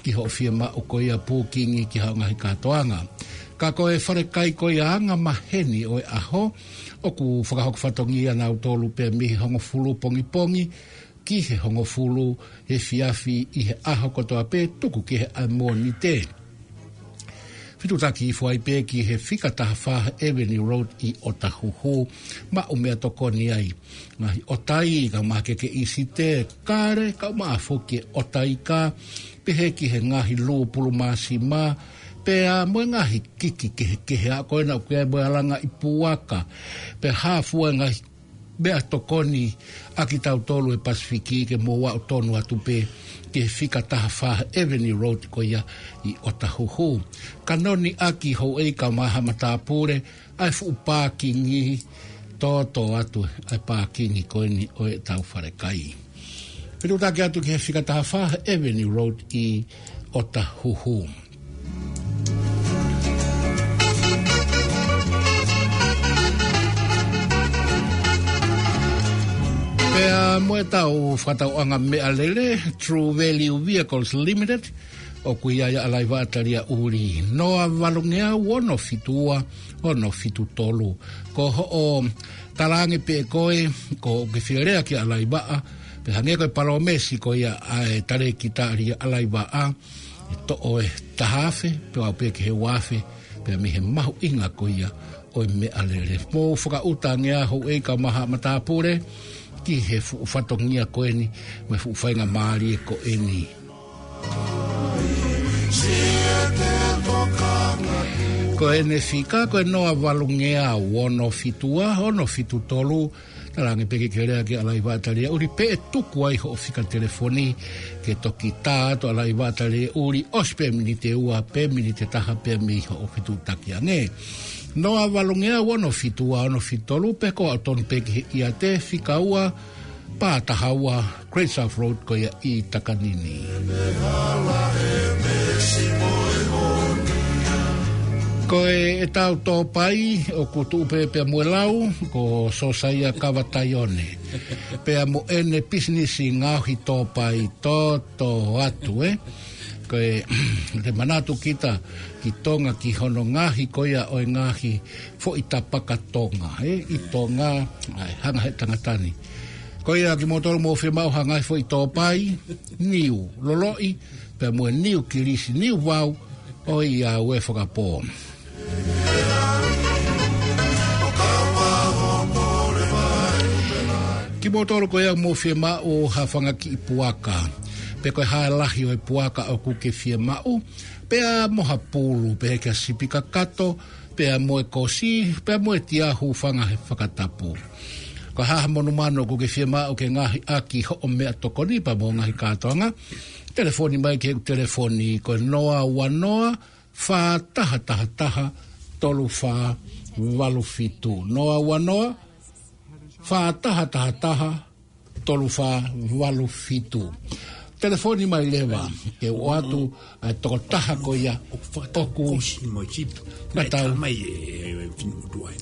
ki hoʻo fiemaʻu ko ia pūkingi ki haʻo ngaahi kātoanga. Ka ko e falekai ko ia anga maheni ʻo e ʻaho, ʻoku fakahoko fatongia nautolu pē mei he hongofulu pongipongi ki he hongofulu efiafi ʻi he ʻaho kotoa pē tuku ki he ʻaho Mōnite. Fetuʻutaki hifo ai pē ki he fika taha fā Avenue Road ʻi ʻOtahuhu, maʻu meʻatokoni ai. Ngaahi ʻotai, kau mahaki ke ʻisite, kale, kau maʻa foki e ʻotai ka, pehē ki he ngaahi lūpulu māsima, pea mo e ngaahi kiki kehekehe ʻa ko ena ʻoku ʻi ai mo e alanga ʻi puaka, pea hā fua e ngaahi meʻatokoni ʻa kitautolu ʻi he Pasifiki ke mou aʻu tonu atu pē ki he fika taha fā Avenue Road ko ia ʻi ʻOtahuhu. Ka noni ʻaki houʻeiki kau maha matāpule, ʻa e fuʻu pākingi, tōtō atu ʻa e pākingi ko eni ʻo e tau falekai. Fetuʻutaki atu ki he fika taha fā Avenue Road ʻi ʻOtahuhu. Pea mo e tau fakatauʻanga meʻalele, True Value Vehicles Limited, ʻoku ʻi ai ʻa e ʻalaivaʻa talia ʻuli. Noa valungeau ono fitu ua, ono fitu tolu. Ko hoʻo talaange pē ʻe koe, ko ke fie lea ki he ʻalaivaʻa, pea hangē ko e palōmesi ko ia ʻa e talēkita ʻa e ʻalaivaʻa, ʻe toʻo e taha afe, pea aʻu pē ki he ua afe, pea mei he mahuʻinga ko ia ʻo e meʻalele. Mou fakaʻuta ange ā houʻeiki kau maha matāpule, ki he fuʻu fatongia ko eni, mo e fuʻu faingamālie ko eni. Ko ʻene fika, ko e noa valungeau ono fitu ua, ono fitu tolu, talaange pē ke ke lea ki he ʻalaivaʻa talia ʻuli pe ʻe tuku ai hoʻo fika telefoni, ke toki tā atu ʻa e ʻalaivaʻa talia ʻuli, ʻosi pē miniti ʻe ua, pe miniti ʻe taha pē mei hoʻo fetuʻutaki ange. Noa valungeau ono fitu ua, ono fitu tolu, pe ko e aʻu tonu pē ki he ʻiate, fika ua, pā taha ua, Great South Road ko ia ʻi Takanini. Ko e ʻetau tōpai, ʻoku tuʻu pē pea mo e lau, ko Sosaia Kavataione. Pea mo ʻene pisinisi ngaohi tōpai, tōtō atu, ē. Ko e, te manatu kita ki Tonga ki hono ngaohi ko ia ʻo e ngaahi foʻi tapaka Tonga, ē, ʻi Tonga, ʻa e hanga he tangata ni. Ko ia kimoutolu mou fiemaʻu ha ngaahi foʻi tōpai, niu loloʻi, pea mo e niu kilisi, niu vau, ʻoiauē fakapō. Kimoutolu ko ia mou fiemaʻu ha fanga kiʻi puaka, pe ko e hā e lahi ʻo e puaka ʻoku ke fiemaʻu, pea mo ha pulu, pehē ki ha sipi kakato, pea mo e kosi, pea mo e tia hūfanga he fakatapu. Ko e hā ha monumanu ʻoku ke fiemaʻu ke ngaohi ʻaki hoʻo meʻatokoni pea mo e ngaahi kātoanga, telefoni mai ki heʻeku telefoni ko e noa ua noa, fā taha taha taha, tolu fā valu fitu. Noa ua noa, fā taha taha taha, tolu fā valu fitu. Telefoni mai leva, ke u ʻoatu ʻa e tokotaha ko ia ʻoku fakatau kosi mo e sipi. Natau. Mai e, e, e, finu tuai.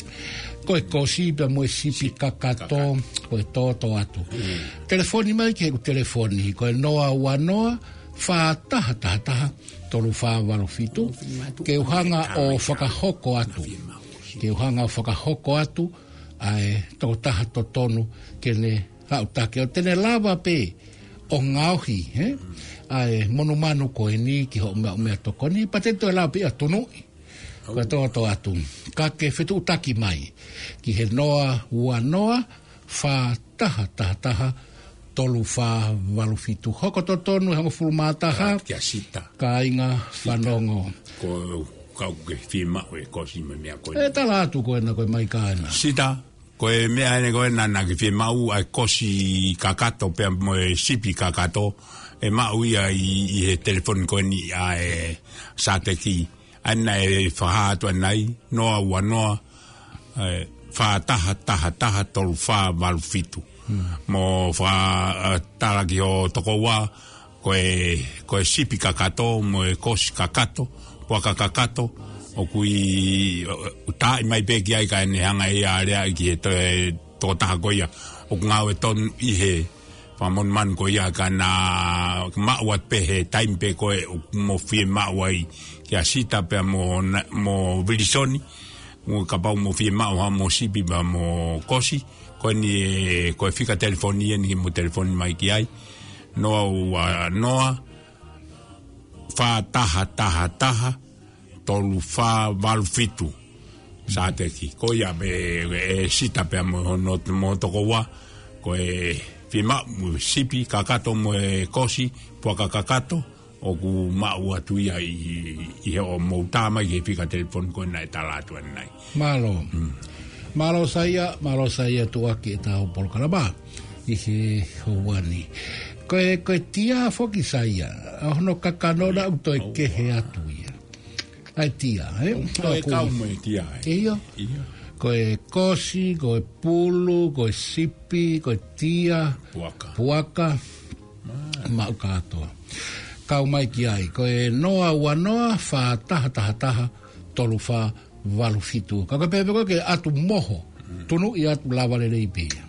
Ko e kosi pea mo e sipi kakato, ko e tōtō atu. Mm. Telefoni mai ki heʻeku telefoni, ko e noa ua noa, fā taha taha taha, tolu fā valu fitu. Ke u hanga ʻo fakahoko atu. Ke u hanga ʻo fakahoko atu, ʻa e tokotaha totonu ke ne haʻu taki ʻo te ne lava pē ʻo ngaohi, ē? ʻA e monumanu ko eni ki hoʻo meʻa, meʻatokoni, pea te toe lava pē ʻo tunuʻi. Ko e tōtō atu. Ka ke fetuʻutaki mai ki he noa ua noa, fā taha taha taha, tolu fā valu fitu. Hoko totonu ʻe hongofulu mā taha. Kia Sita. Kāinga fanongo. Ko e kau ke fiemaʻu e kosi mo e meʻa ko ē. ʻE tala atu ko ena ko e mai ka ena. Sita, ko e meʻa ena ko ena naʻa ke fiemaʻu ʻa e kosi kakato pea mo e sipi kakato, ʻe maʻu ia ʻi, ʻi he telefoni ko eni ʻa e Sateki. ʻAna ʻe fakahā atu ʻanai, noa ua noa, ē, fā taha taha taha tolu fā valu fitu. Hmm. Mo fa, ē, tala ki ho tokoua, ko e, ko e sipi kakato, mo e kosi kakato, puaka kakato, ʻoku ʻi, ʻo, ʻo taaʻi mai pē ki ai kae ne hanga ʻe ia ʻo lea ki he to-, e tokotaha ko ia, ʻoku ngāue tonu ʻi he Fakamonumanu ko ia ka na maʻu atu pē he taimi pē ko ē ʻoku mo fiemaʻu ai kia Sita pea mo na-, mo Vilisoni. Mo kapau mo fiemaʻu ha mo Sipi pea mo Kosi. Ko eni ē, ko e fika telefoni eni mo telefoni mai ki ai. Noa ua noa, fā taha taha taha, tolu fā valu fitu. Sāteki. Ko ia pē, ē, Sita pea mo hono, mo tokoua. Ko e fiemaʻu mo Sipi kakato mo e Kosi, puaka kakato, ʻoku maʻu atu ia ʻi, ʻi he ʻo mou tā mai he fika telefoni ko ē naʻe tala atu ʻanenai. Mālō. Mm. Mālō Saia, mālō Saia tuʻaki ʻetau polokalama ʻi he houa ni. Ko e, ko e tia foki Saia, ʻa hono kakano naʻa ʻoku toe kehe atu ia. ʻA e tia, ē? ʻOku toe kau mo e tia, ē? ʻIo. ʻIo. Ko e Kosi, ko e Pulu, ko e Sipi, ko e tia, Puaka. Puaka. Mā. Maʻu kātoa. Kau mai ki ai, ko e noa ua noa, fā taha taha taha, tolu fā valu fitu. Ka ko e pehē pē ko ē ke ʻatu moho. Mm. Tunuʻi atu lava lelei pē ia.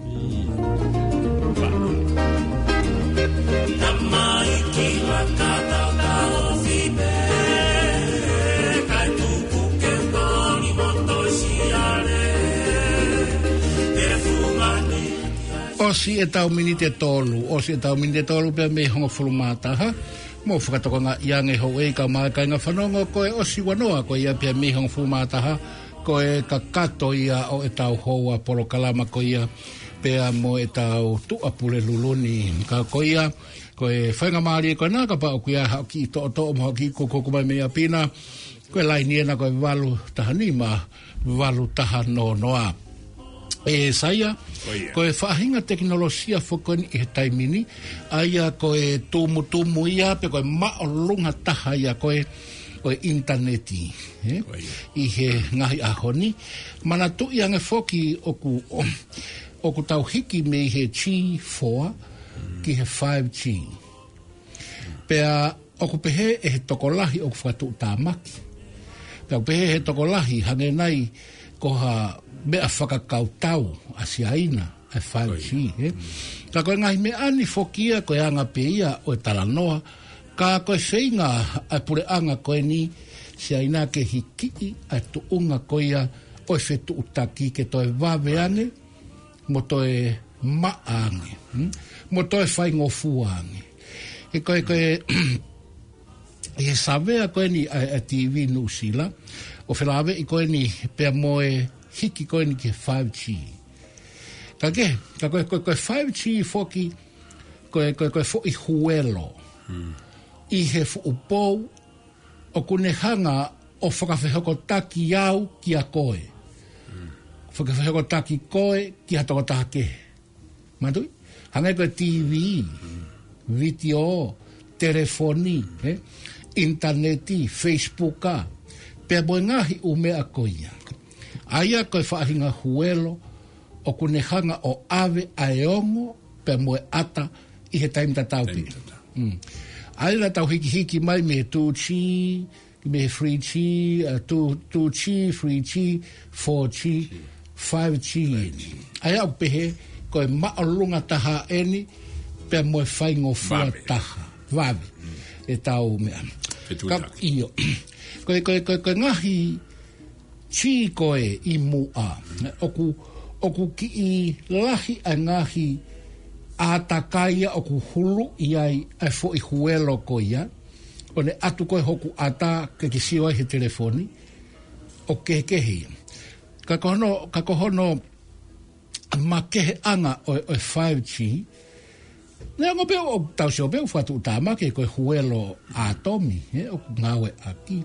Mm. Tamai ki la kata ka ofi pē, kai tuku ke koni mo toi siale. E fumani. ʻOsi ʻetau miniti ʻe tolu, ʻosi ʻetau miniti ʻe tolu pea mei hongofulu mā taha. Mou fakatokangaʻi ange houʻeiki kae ʻumaʻā e kāinga fanongo, ko e ʻosi ua noa ko ia pea mei hongofulu mā taha, ko e kakato ia ʻo ʻetau houa polokalama ko ia, pea mo ʻetau Tuʻapulelulu ni. Ka ko ia, ko e faingamālie ko ena kapau ʻoku ʻi ai haʻo kiʻi toʻotoʻo mo haʻo kiʻi kukuku mai mei ʻapi na, ko e laini ena ko e valu taha nima, valu taha noa noa. ʻE Saia, Ko ia. ko e faʻahinga tekinolosia foki ko eni ʻi he taimi ni, ʻa ia ko e tumutumu ia pe ko e māʻolunga taha ia ko ē ʻo e ʻinitaneti, ē? Ko ia. ʻI he ngaahi ʻaho ni, manatuʻi ange foki ʻoku, ʻoku tau hiki mei he G four ki he five G. Pea ʻoku pehē ʻe he tokolahi ʻoku fakatuʻutāmaki. Pea ʻoku pehē ʻe he tokolahi hangē nai ko ha meʻa fakakautau ʻa Siaina, ʻa e five G, Ko ia. ē? Ka ko e ngaahi meʻa ni foki ia ko e anga pē ia ʻo e talanoa, ka ko e feinga ʻa e puleʻanga ko eni Siaina ke hikiʻi ʻa e tuʻunga ko ia ʻo e fetuʻutaki ke toe vave ange, mo toe maʻa ange, hmm? Mo toe faingofua ange. He ko e, ko e, ʻi he savea ko eni ʻa, ʻa e T V Nuʻusila, ʻo felāveʻi ko eni pea mo e hiki ko eni ki he five G. Ka ke, ka ko e, ko e, ko e five G foki, ko e, ko e, ko e foʻi huelo. Hmm. ʻI he fuʻu pou, ʻoku ne hanga ʻo fakafehokotaki au kia koe. Mm. Fakafehokotaki koe ki ha tokotaha kehe. Manatuʻi? Hangē ko e T V, Mm. vitiō, telefoni, ē? ʻInitaneti, Facebook, pea mo e ngaahi ʻū meʻa ko ia. ʻA ia ko e faʻahinga huelo, ʻoku ne hanga ʻo ʻave ʻa e ongo, pea mo e ʻata ʻi he taimi tatau pē. Taimi tatau. Mm. ʻA ia naʻa tau hikihiki mai mei he two G, mei he three G, uh, two, two G, three G, four G, five G. Five G. ʻA ia ʻoku pehē, ko e māʻolunga taha eni, pea mo e faingofua Vave. taha. Vave. Mm. ʻEtau meʻa. Fetuʻutaki. Ka, ʻio. Ko e, ko e, ko e, ko e ngaahi G ko ē ʻi muʻa. ʻOku, ʻoku kiʻi lahi ʻa e ngaahi ʻātakai ia ʻoku huluʻi ai ʻa e foʻi huelo ko ia. ʻO ne ʻatu ko ē hoku ʻata ke ke sio ai he telefoni. ʻOku kehekehe ia. Ka ko hono, ka ko hono makeheʻanga ʻo e, ʻo e five G. Neongo pē ʻoku tau sio pē ʻoku fakatuʻutāmaki ko e huelo ʻātomi, ē, ʻoku ngāueʻaki.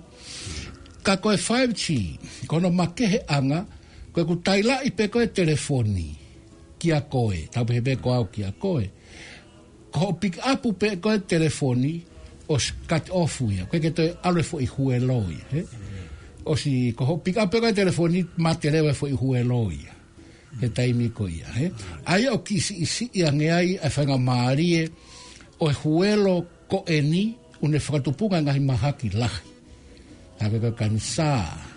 Ka ko e five G, ko hono makeheʻanga, ko ʻeku tailaʻi pē ko ē telefoni kia koe, tau pehē pē ko au kia koe. Ko hoʻo pick up pē ko ē telefoni, ʻosi cut off ia, ko e ke toe ʻalu e foʻi huelo ia, ē? ʻOsi, ko hoʻo pick up pē ko ē telefoni, mate leva e foʻi huelo ia. He taimi ko ia, ē? ʻA ia ʻoku kiʻi siʻisiʻi ange ai ʻa e faingamālie ʻo e huelo ko eni, ʻoku ne fakatupunga ngaahi mahaki lahi. ʻA ia ko e kanisā,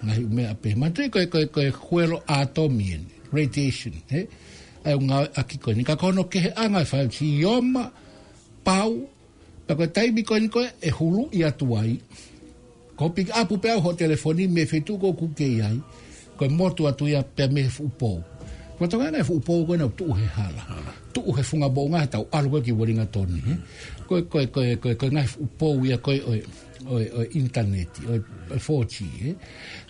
ngaahi meʻa pehē. Manatuʻi ko e, ko e, ko e huelo ʻātomi eni, radiation, ē? ʻa e ngāueʻaki ko eni. Ka ko hono keheʻanga e five G, ʻio, ʻoku pau, pea ko e taimi ko eni ko ē ʻe huluʻi atu ai, ko e pick up pē ʻa hoʻo telefoni mei he feituʻu ʻoku ke ʻi ai, ko e motu atu ia pea mei he fuʻu pou. Ko e tokanga e fuʻu pou ko ē naʻa nau tuʻu he hala. Tuʻu he funga moʻunga he tau ʻalu ko ē ki Uelingatoni, ē. Ko e, ko e, ko e, ko e, ko e ngaahi fuʻu pou ia ko ē ʻo e, ʻo e, ʻo e ʻinitaneti, ʻo e, ʻo e four G, ē.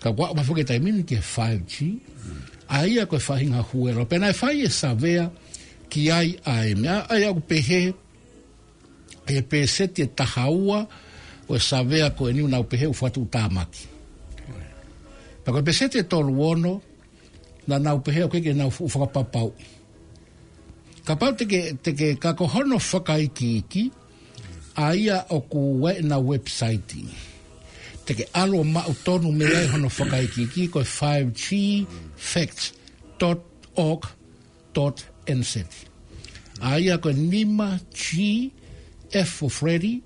Ka kuo aʻu mai foki e taimi ni ki he five G, ʻa ia ko e faʻahinga huelo. Pea naʻe fai e savea ki ai ʻa e meʻa, ʻa ia ʻoku pehē, ʻe pēseti ʻe taha ua ʻo e savea ko eni ʻoku nau pehē ʻoku fakatuʻutāmaki. Pea ko e pēseti ʻe tolu ono, naʻa nau pehē ʻoku ʻikai ke nau fuʻu fakapapauʻi. Kapau te ke, te ke, ka ko hono fakaikiiki, ʻa ia ʻoku ʻi ai ʻenau website. Te ke ʻalu ʻo maʻu tonu mei ai hono fakaikiiki, ko e five G facts dot org dot N Z. ʻA ia ko e nima G, F for Freddy,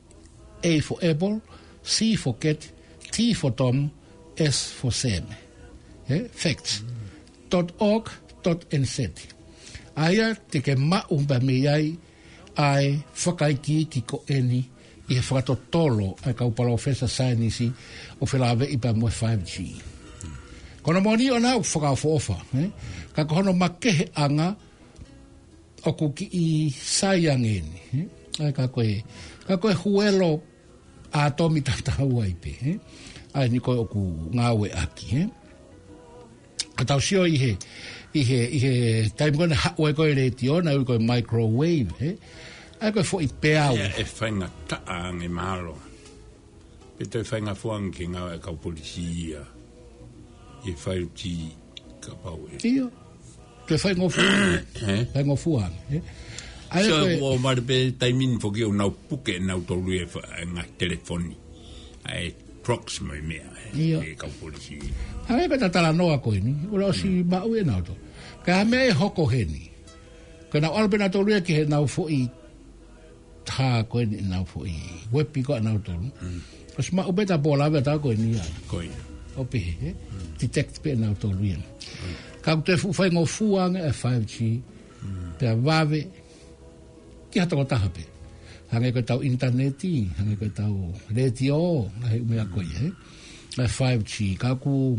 A for Apple, C for Cat, T for Tom, S for Sam. Ē, facts dot org dot N Z. ʻA ia te ke maʻu pē mei ai ʻa e fakaikiiki ko eni ʻi he fakatotolo ʻa e kau palōfesa saienisi ʻo felāveʻi pea mo e five G. Ko hono moʻoni ʻoku nau fakaʻofoʻofa, ē? Ka ko hono makeheʻanga ʻoku kiʻi sai ange eni, ē? ʻA ia ka ko e, ka ko e huelo ʻātomi tatau ai pē, ē? ʻA eni ko ē ʻoku ngāueʻaki, ē? Ka tau sio ʻi he, ʻi he, ʻi he taimi ko ē naʻe haʻu ai ko ē e letiō, naʻe ui ko e microwave, ē? ʻA ia ko e foʻi peau. ʻE, ʻe faingataʻa ange mahalo. Pe toe faingofua ange ke ngāueʻaki e kau polisi ia. ʻI he five G kapau ʻe. ʻIo. Ke faingofua ange. Ē? Faingofua ange, ē? ʻA ia so, ko e ʻoku mali pē taimi ni foki ʻoku nau puke nautolu e fa-, e ngaahi telefoni. ʻA e Proximo e meʻa, ē, ʻIo. e kau polisi. ʻA ia ko e talanoa ko eni, ʻoku ʻosi maʻu ʻe nautolu. Ka ʻi ai ha meʻa ʻe hoko heni, ko ʻenau ʻalu pē nautolu ia ki heʻenau foʻi, ha ko eni ʻenau foʻi uepi ko ē ʻanautolu. ʻOsi maʻu pē ta pō lave ʻa e tau ko eni ia. Ko ia. ʻO pehē, ē? Detect pē ʻe nautolu ia. Ka ʻoku toe fuʻu faingofua ange e five G, pea vave ki ha tokotaha pē. Hangē ko e tau ʻinitaneti, hangē ko e tau letiō, ngaahi meʻa ko ia, ē? ʻA e five G, ka ʻoku,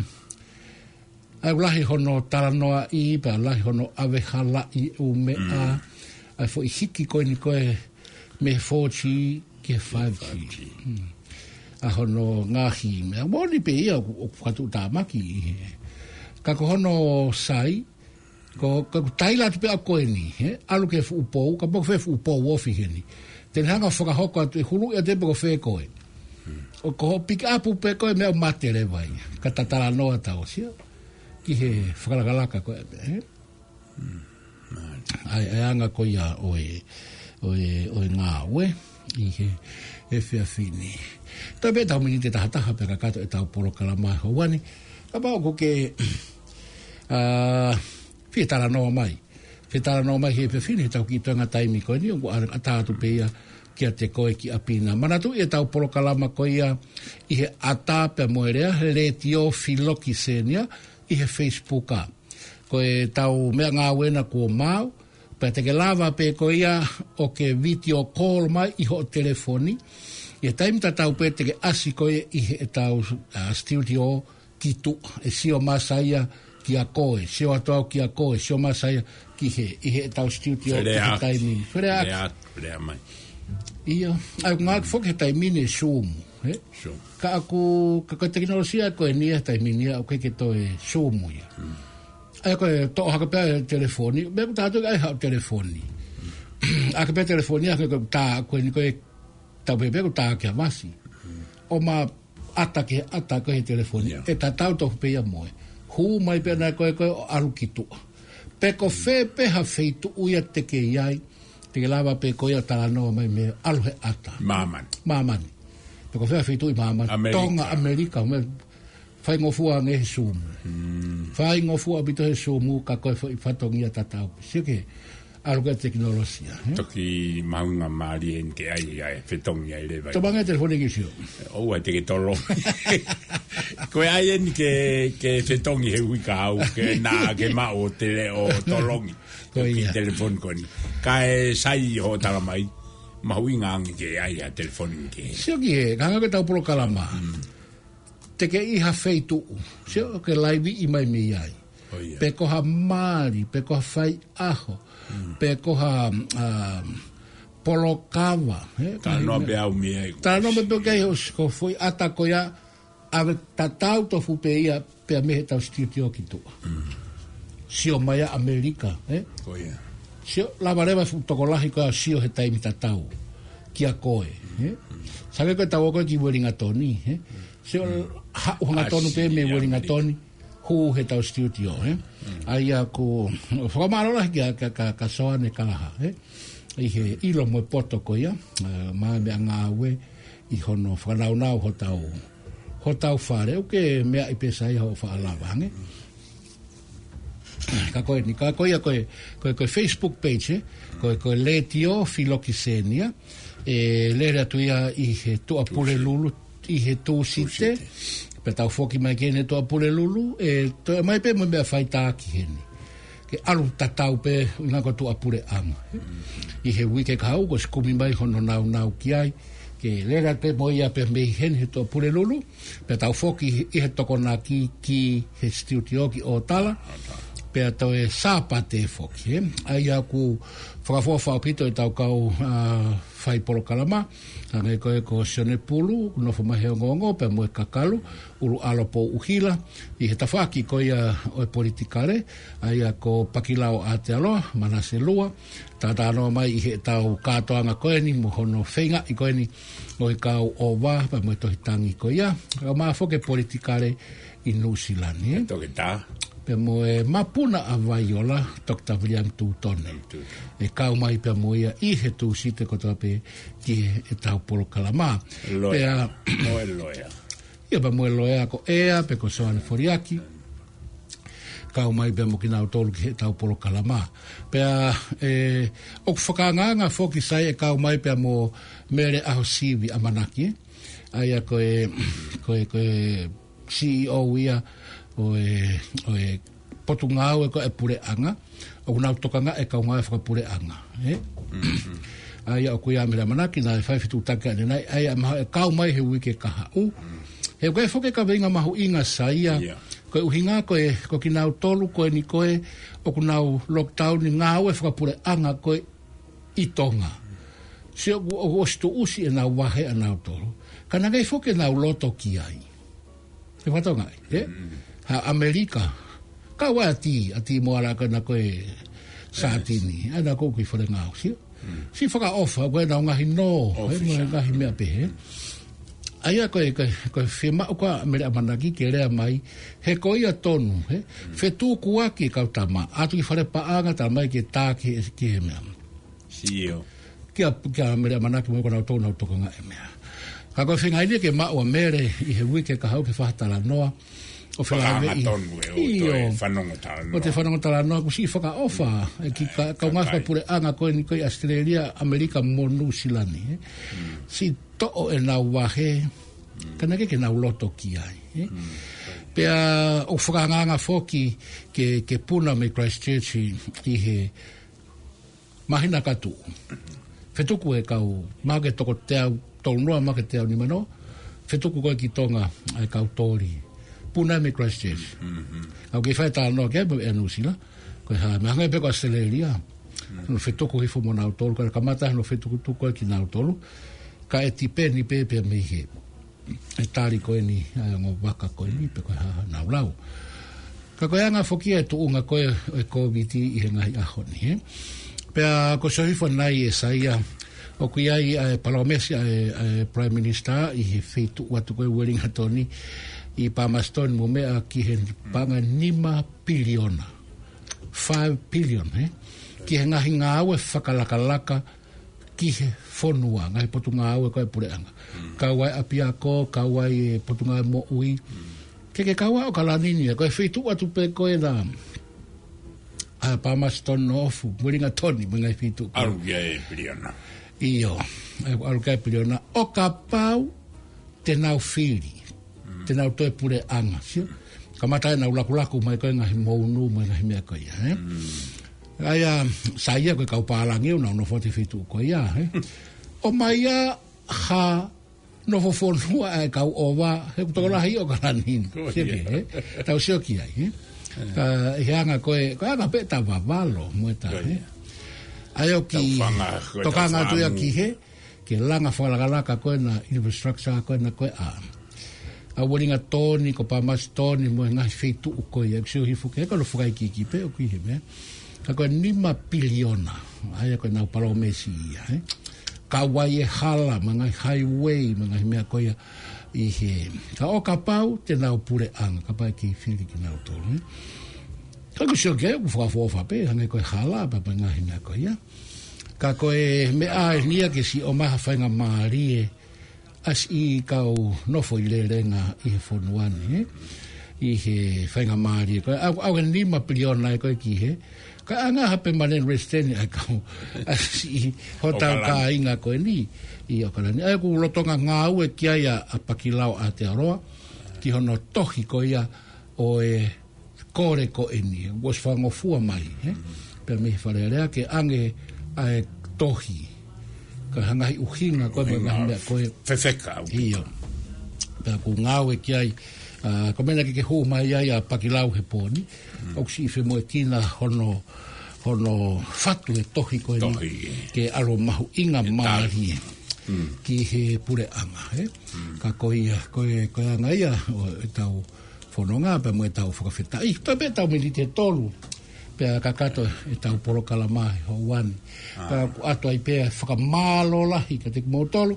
ʻa ia ʻoku lahi hono talanoaʻi, pea lahi hono ʻave halaʻi e ʻū meʻa, ʻa e foʻi hiki ko eni ko ē mei he four G ki he five G. ʻA hono ngaahi meʻa, moʻoni pē ia ʻoku, ʻoku fakatuʻutāmaki ʻi he. Ka ko hono sai, ko, ka ʻoku taila atu pē ʻa ko eni, ē? ʻAlu ki he fuʻu pou, kapau ko fē fuʻu pou ofi heni. Te ne hanga ʻo fakahoko atu ʻe huluʻi atu pē ko fē koe. ʻO ko hoʻo pick up pē ko e meʻa ʻoku mate leva ia. Ka ta talanoa tau sio ki he fakalakalaka ko ē, ē? ʻA e, ʻa e anga ko ia ʻo e, ʻo e, ʻo e ngāue ʻi he, he efiafi ni. Toe pē tau miniti ʻe tahataha pē kakato ʻetau polokalama he houa ni. Kapau ʻoku ke, ʻa, fie talanoa mai. Fie talanoa mai he efiafi ni, he tau kiʻi toenga taimi ko eni, ʻoku ʻa, ʻatā atu pē ia kiate koe ki ʻapi na. Manatuʻi ʻetau polokalama ko ia ʻi he ʻatā pea mo e lea, he Letiō Filoki Senior, ʻi he Facebook ʻa. Ko ʻetau meʻangāue na kuo maau, pea te ke lava pē ko ia ʻo ke video call mai ʻi hoʻo telefoni. ʻI he taimi tatau pē te ke ʻasi ko ia ʻi heʻetau, ʻa, studio ki tuʻa, ʻe sio mai ʻa ia kia koe, sio atu au kia koe, sio mai ʻa ia ki hē, ʻi heʻetau studio ki he taimi ni. Fele atu. Fele atu, fele mai. ʻIo, ʻa ia ʻoku ngāueʻaki foki he taimi ni e Zoom, ē? Zoom. Ka ʻoku, ka ko e tekinolosia ko eni he taimi ni ʻoku ʻikai ke toe Zoom ia. ʻA ia ko e toʻo hake pē e telefoni, meʻa ʻoku tātou ʻai haʻo telefoni. ʻAke pē telefoni, ʻa ko e tā, ko eni ko e tau pē pē ʻoku tā ki ha vasi. ʻO ma ʻata ki he ʻata ko ē he telefoni, ʻe tatau tofu pē ia mo e. Hū mai pē ʻana ko ē ko ē ʻo ʻalu ki tuʻa. Pe ko fē pē ha feituʻu ia te ke ʻi ai, te ke lava pē ko ia ʻo talanoa mai mei he ʻalu he ʻata. Māmani. Māmani. Pe ko fē ha feituʻu ʻi māmani. ʻAmelika. Tonga, ʻAmelika, mei Faingofua ange he Zoom. Faingofua ʻaupito he Zoom, ka ko e foʻi fatongia tatau. Sio ki he, ʻAlu ko e tekinolosia, ē? Toki mahuʻinga mālie eni ke ʻai, ʻai fetongi ai leva. Tō mai ange e telefoni ki Sio. ʻOua te ke tolongi. Ko e ʻai eni ke, ke fetongi he ui ka au, ke nā ke maʻu ʻo tele ʻo tolongi. Ko ia. Ki telefoni ko eni. Kae sai hoʻo tala mai. Mahuʻinga ange ke ʻai ʻa e telefoni ke. Sio ki he, ka hanga ko ʻetau polokalama. Mm. Te ke ʻi ha feituʻu. Sio ke laiviʻi mai mei ai. ʻO ia. Pe ko ha mali, pe ko ha faiʻaho, pe ko ha, um, polokava, ē? Talanoa pē au mei ai. Talanoa pē pē ki ai ʻo s-, ko e foʻi ʻata ko ia, ʻave tatau tofu pē ia, pea mei heʻetau studio ki tuʻa. Mm. Sio mai ʻa ʻAmelika, ē? ʻO ia. Sio, lava leva e fuʻu tokolahi ko ia ʻo sio he taimi tatau kia koe, ē? Mm. Sai ange ko ʻetau ō ko ē ki Uelingatoni, ē? Sio, mm, haʻu hangatonu pē mei Uelingatoni, hū heʻetau studio, ē? Mm. ʻA ia ko, fakamālō lahi kia, kia, kia, kia Soane Kalaha, ē? ʻI he ʻilo mo e poto ko ia, ē, mo e meʻangāue ʻi hono fakanaunau hotau, hotau fale, ʻoku ke meaʻi pē sai hoʻo faʻa lava ange. Ka ko eni, ka ko ia ko e, ko e, ko e Facebook page, ē? Ko e, ko e Letiō Filokisenia, ʻe lele atu ia ʻi he Tuʻapulelulu, ʻi he Tūsite. Tūsite. Pea tau foki mai ki heni Tuʻapulelulu, ʻe toe mai pē mo e meʻa faitaki heni. Ke ʻalu tatau pē ʻuhinga ko e tuʻapuleʻanga. Mm. ʻI he uike kahaʻu, kuo ʻosi kumi mai hono naunau ki ai. Ke lele pē mo ia pē mei heni he Tuʻapulelulu. Pea tau foki ʻi he Tokonaki ki he studio ki ʻŌtala. ʻŌtala. Pea toe Sāpate foki, ē. ʻA ia ʻoku fakaʻofoʻofa ʻaupito ʻetau kau, ā, fai polokalama. Hangē ko ē ko Sione Pulu, nofo mai he ongoongo, pea mo e kakalu, ʻUluʻalo Pouʻuhila, ʻi he tafaʻaki ko ia ʻo e politikale, ʻa ia ko Pakilao Aotearoa, Manase Lua, talanoa mai ʻi heʻetau kātoanga ko eni, mo hono feingaʻi ko eni, ʻo e kau ʻova, pea mo e tohi tangi ko ia, kae ʻumaʻā foki e politikale ʻi Nuʻusila ni, ē? Toketā. Pea mo e mapuna ʻa Vaiola, Toketā Viliami Tūtone. Tūtone. ʻE kau mai pea mo ia ʻi he Tūsite kotoa pē ki heʻetau polokalama. Loea. Pea mo e loea. Ia pea mo e loea ko ʻEa, pe ko Soane Foliaki. Kau mai pea mo kinautolu ki heʻetau polokalama. Pea, ē, ʻoku fakaangaanga foki sai ʻe kau mai pea mo Mele ʻAhosivi ʻAmanaki, ē? ʻA ia ko e, ko e, ko e CEO ia ʻo e, ʻo e potungāue ko ē ʻa e puleʻanga, ʻoku nau tokangaʻi e kau ngāue fakapuleʻanga, ē? Mm-hmm. ʻA ia ʻoku ʻi ai ʻa Mele ʻAmanaki naʻe fai fetuʻutaki ʻanenai, ʻa ia mahalo ʻe kau mai he uike kahaʻu. Mm. He ko e foki e kaveinga mahuʻinga sai ia, ia, ko e ʻuhinga ko ē, ko kinautolu ko eni ko ē, ʻoku nau lockdown ʻi he ngāue fakapuleʻanga ko ē ʻi Tonga. Sio ʻoku, ʻoku ʻosi tuʻusi ʻenau vahe ʻanautolu. Ka naʻe ʻikai foki ke nau loto ki ai. He fatongia, ē? Mm. Ha ʻAmelika. Kau ai ʻa Tī, ʻa Tī Moala ko ena ko e sātini. ʻA ena ko ē ki Falengaʻo, sio? Mm. Siʻi fakaʻofa, ko ʻenau ngaahi nō, ē, mo e ngaahi meʻa pehē. ʻA ia ko e, ko e, ko e fiemaʻu ko ē ʻa Mele ʻAmanaki ke lea mai, he ko ia tonu, ē? Mm. Fetukuaki e kau tama, ʻatu ki fale paʻanga, tala mai ke tā ki he, ki he meʻa. Sio. Kia, kia Mele ʻAmanaki mo kinautolu ʻoku nau tokangaʻi e meʻa. Ka ko e feinga eni ke maʻu ʻa Mele ʻi he uike kahaʻu ke fai ha talanoa ʻo fekauʻaki mo e, ʻio, toe fanongo talanoa. ʻO toe fanongo talanoa, ʻoku siʻi fakaʻofa ʻa e kiʻi ka-, kau ngāue fakapuleʻanga ko eni ko ē ʻi ʻAositelēlia, ʻAmelika mo Nuʻusila ni, ē. Mm. Siʻi toʻo ʻenau vahe, mm, ka naʻe ʻikai ke nau loto ki ai, ē. Mm. Pea ʻoku fakaangaanga foki ke, ke puna mei Christchurch ʻi he māhina ka tuʻu. Fetuku e kau, mahalo ko e toko teau tolu noa, mahalo ko e teau nima noa. Fetuku ko ē ki Tonga ʻa e kau toli. Puna mei Christchurch. Mm-hmm. ʻOku kei fai talanoa ki ai mo e Nuʻusila. Ko e hā, meʻa hangē pē ko ʻAositelēlia. Mm. Hono fetuku hifo mo nautolu, ka kamata hono fetukutuku ko ē kinautolu. Ka ʻe tipeni pē pea mei he, e tali ko eni, ʻa e ongo vaka ko eni, pe ko e hā haʻanau lau. Ka ko e anga foki e tuʻunga ko ē ʻo e Kōviti ʻi he ngaahi ʻaho ni, ē. Pea ko e sio hifo nai ʻe Saia, ʻoku ʻi ai ʻa e palōmesi ʻa e, ʻa e Prime Minister ʻi he feituʻu atu ko ē Uelingatoni, ʻi Palmerston mo e meʻa ki he paʻanga nima piliona. Five billion, ē. Ki he ngaahi ngāue fakalakalaka ki he fonua, ngaahi potungāue ko ē puleʻanga. Mm. Kau ai ʻapiako, kau ai e potungāue moʻui. Mm. Ke ke kau ai ʻAokalani ni, ko e feituʻu atu pē ko ē naʻa, ʻa Palmerston North, Wellington, mo e ngaahi feituʻu ko ē. ʻAlu ki ai e piliona. ʻIo, ʻalu ki ai e piliona. ʻO kapau te nau fili, te nau toe puleʻanga, sio? Kamata ʻenau lakulaku mai ko ē ngaahi mounu, mo e ngaahi meʻa ko ia, ē? ʻA ia, sai ia ko e kau pālangi ʻoku nau nofo atu he feituʻu ko ia, ē? ʻOmai ia ha nofo fonua ʻa e kau ʻova, he ʻoku tokolahi ʻOkalani. Ko ia. Sio ki ai, ē? Tau sio ki ai, ē? Ka ʻi he anga ko ē, ko e anga pē ʻeta vavalo, mo ʻeta, ē? ʻA ia ʻoku tokanga atu ia ki he, ke langa fakalakalaka ko ena infrastructure ko ena ko ē ʻa, ʻa Wellington, ko Palmerston, mo e ngaahi feituʻu ko ia, ʻoku sio hifo ke, ko e fakaikiiki pē ʻoku ʻi he meʻa. Ka ko e nima piliona, ʻa ia ko ʻenau palōmesi ia, ē? Kau ai e hala, mo e ngaahi highway, mo e ngaahi meʻa ko ia ʻi he. Ka ʻo kapau te nau puleʻanga, kapau ʻe kei fili kinautolu, ē? Ka ʻoku sio ki ai, ʻoku fakaʻofoʻofa pē, hangē ko e hala, pea mo e ngaahi meʻa ko ia. Ka ko e meʻa eni ia ke siʻi ʻomai ha faingamālie ʻa siʻi kau nofo ʻi lelenga ʻi he fonua ni, ē? ʻI he faingamālie ko ē, ʻa, ʻa e nima piliona ē ko ē ki he, ka ʻanga ha permanent resident ʻa e kau, ʻa siʻi hotau ʻOkalani. Kāinga ko eni ʻi ʻOkalani. ʻA ia ʻoku lolotonga ngāue ki ai ʻa, ʻa Pakilao ʻAtearoa, ki hono tohi ko ia ʻo e kole ko eni, ʻosi fakangofua mai, ē? Pea mei he Fale Alea ke ʻange ʻa e tohi. Ka hangē ha ʻuhinga ko ē mo e ʻuhinga ngaahi meʻa ko ē. Fefeka, ʻaupito. ʻIo. Pea ʻoku ngāue ki ai, ʻa, ko e meʻa naʻe kei hū mai ai ʻa Pakilao he pō ni. ʻOku siʻi femoʻuekina hono, hono fatu e tohi ko eni. Tohi. Ke ʻalu ʻo mahuʻinga mālie ki he puleʻanga, ē? Ka ko ia, ko e, ko e anga ia ʻo ʻetau fononga pea mo ʻetau fakafetaʻi. Toe pē ʻetau miniti ʻe tolu. Pea kakato ʻetau polokalama he houa ni. Pea ʻoku ʻoatu ai pē ʻa e fakamālō lahi kiate kimoutolu.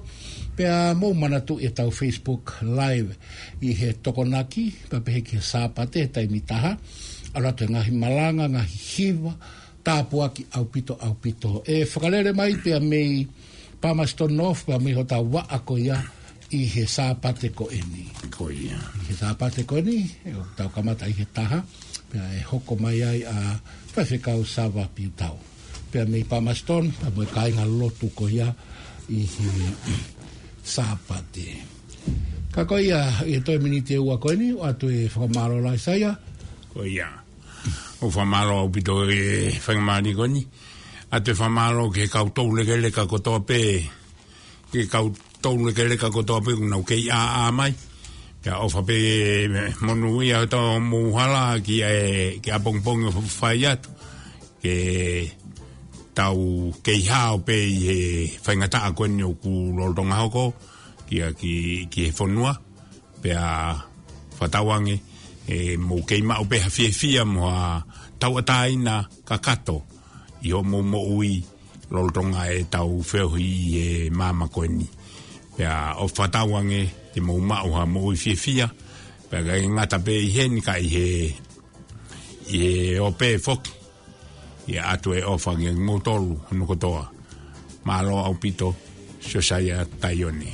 Pea mou manatuʻi ʻetau Facebook Live ʻi he Tokonaki, pea pehē ki he Sāpate he taimi taha. ʻAlu atu e ngaahi malanga, ngaahi hiva, tāpuaki ʻaupito, ʻaupito. ʻE fakalele mai pea mei Palmerston North, pea mei hotau vaʻa ko ia ʻi he Sāpate ko eni. Ko ia. ʻI he Sāpate ko eni, ʻe tau kamata ʻi he taha, pea ʻe hoko mai ai ʻa Faifekau Sava Piutau. Pea mei Palmerston, pea mo e kāinga lotu ko ia ʻi he Sāpate. Ka ko ia, ʻi he toe miniti ʻe ua ko eni, ʻoatu e fakamālō lahi Saia. Ko ia. ʻOku fakamālō ʻaupito e faingamālie ko eni. ʻOatu e fakamālō ki he kau toulekeleka kotoa pē, ki he kau toulekeleka kotoa pē ʻoku nau kei ʻāʻā mai. Pea ʻofa pē monūʻia ʻa hotau mou hala ki he, ki he ʻapongipongi ʻoku fai atu. Ke tau kei hao pē ʻi he faingataʻa ko eni ʻoku lolotonga hoko, ki a, ki, ki he fonua. Pea fakatauange, ʻe mou kei maʻu pē ha fiefia mo ha tauʻatāina kakato ʻi hoʻomou moʻui lolotonga ʻetau feohi ʻi he māmani ko eni. Pea ʻoku fakatauange te mou maʻu ha moʻui fiefia, pea ʻikai ngata pē ʻi heni ka ʻi he, ʻi he ʻope foki. ʻIo, ʻoatu e ʻofa kiate kimoutolu hono kotoa. Mālō ʻaupito, Siosaia Taione.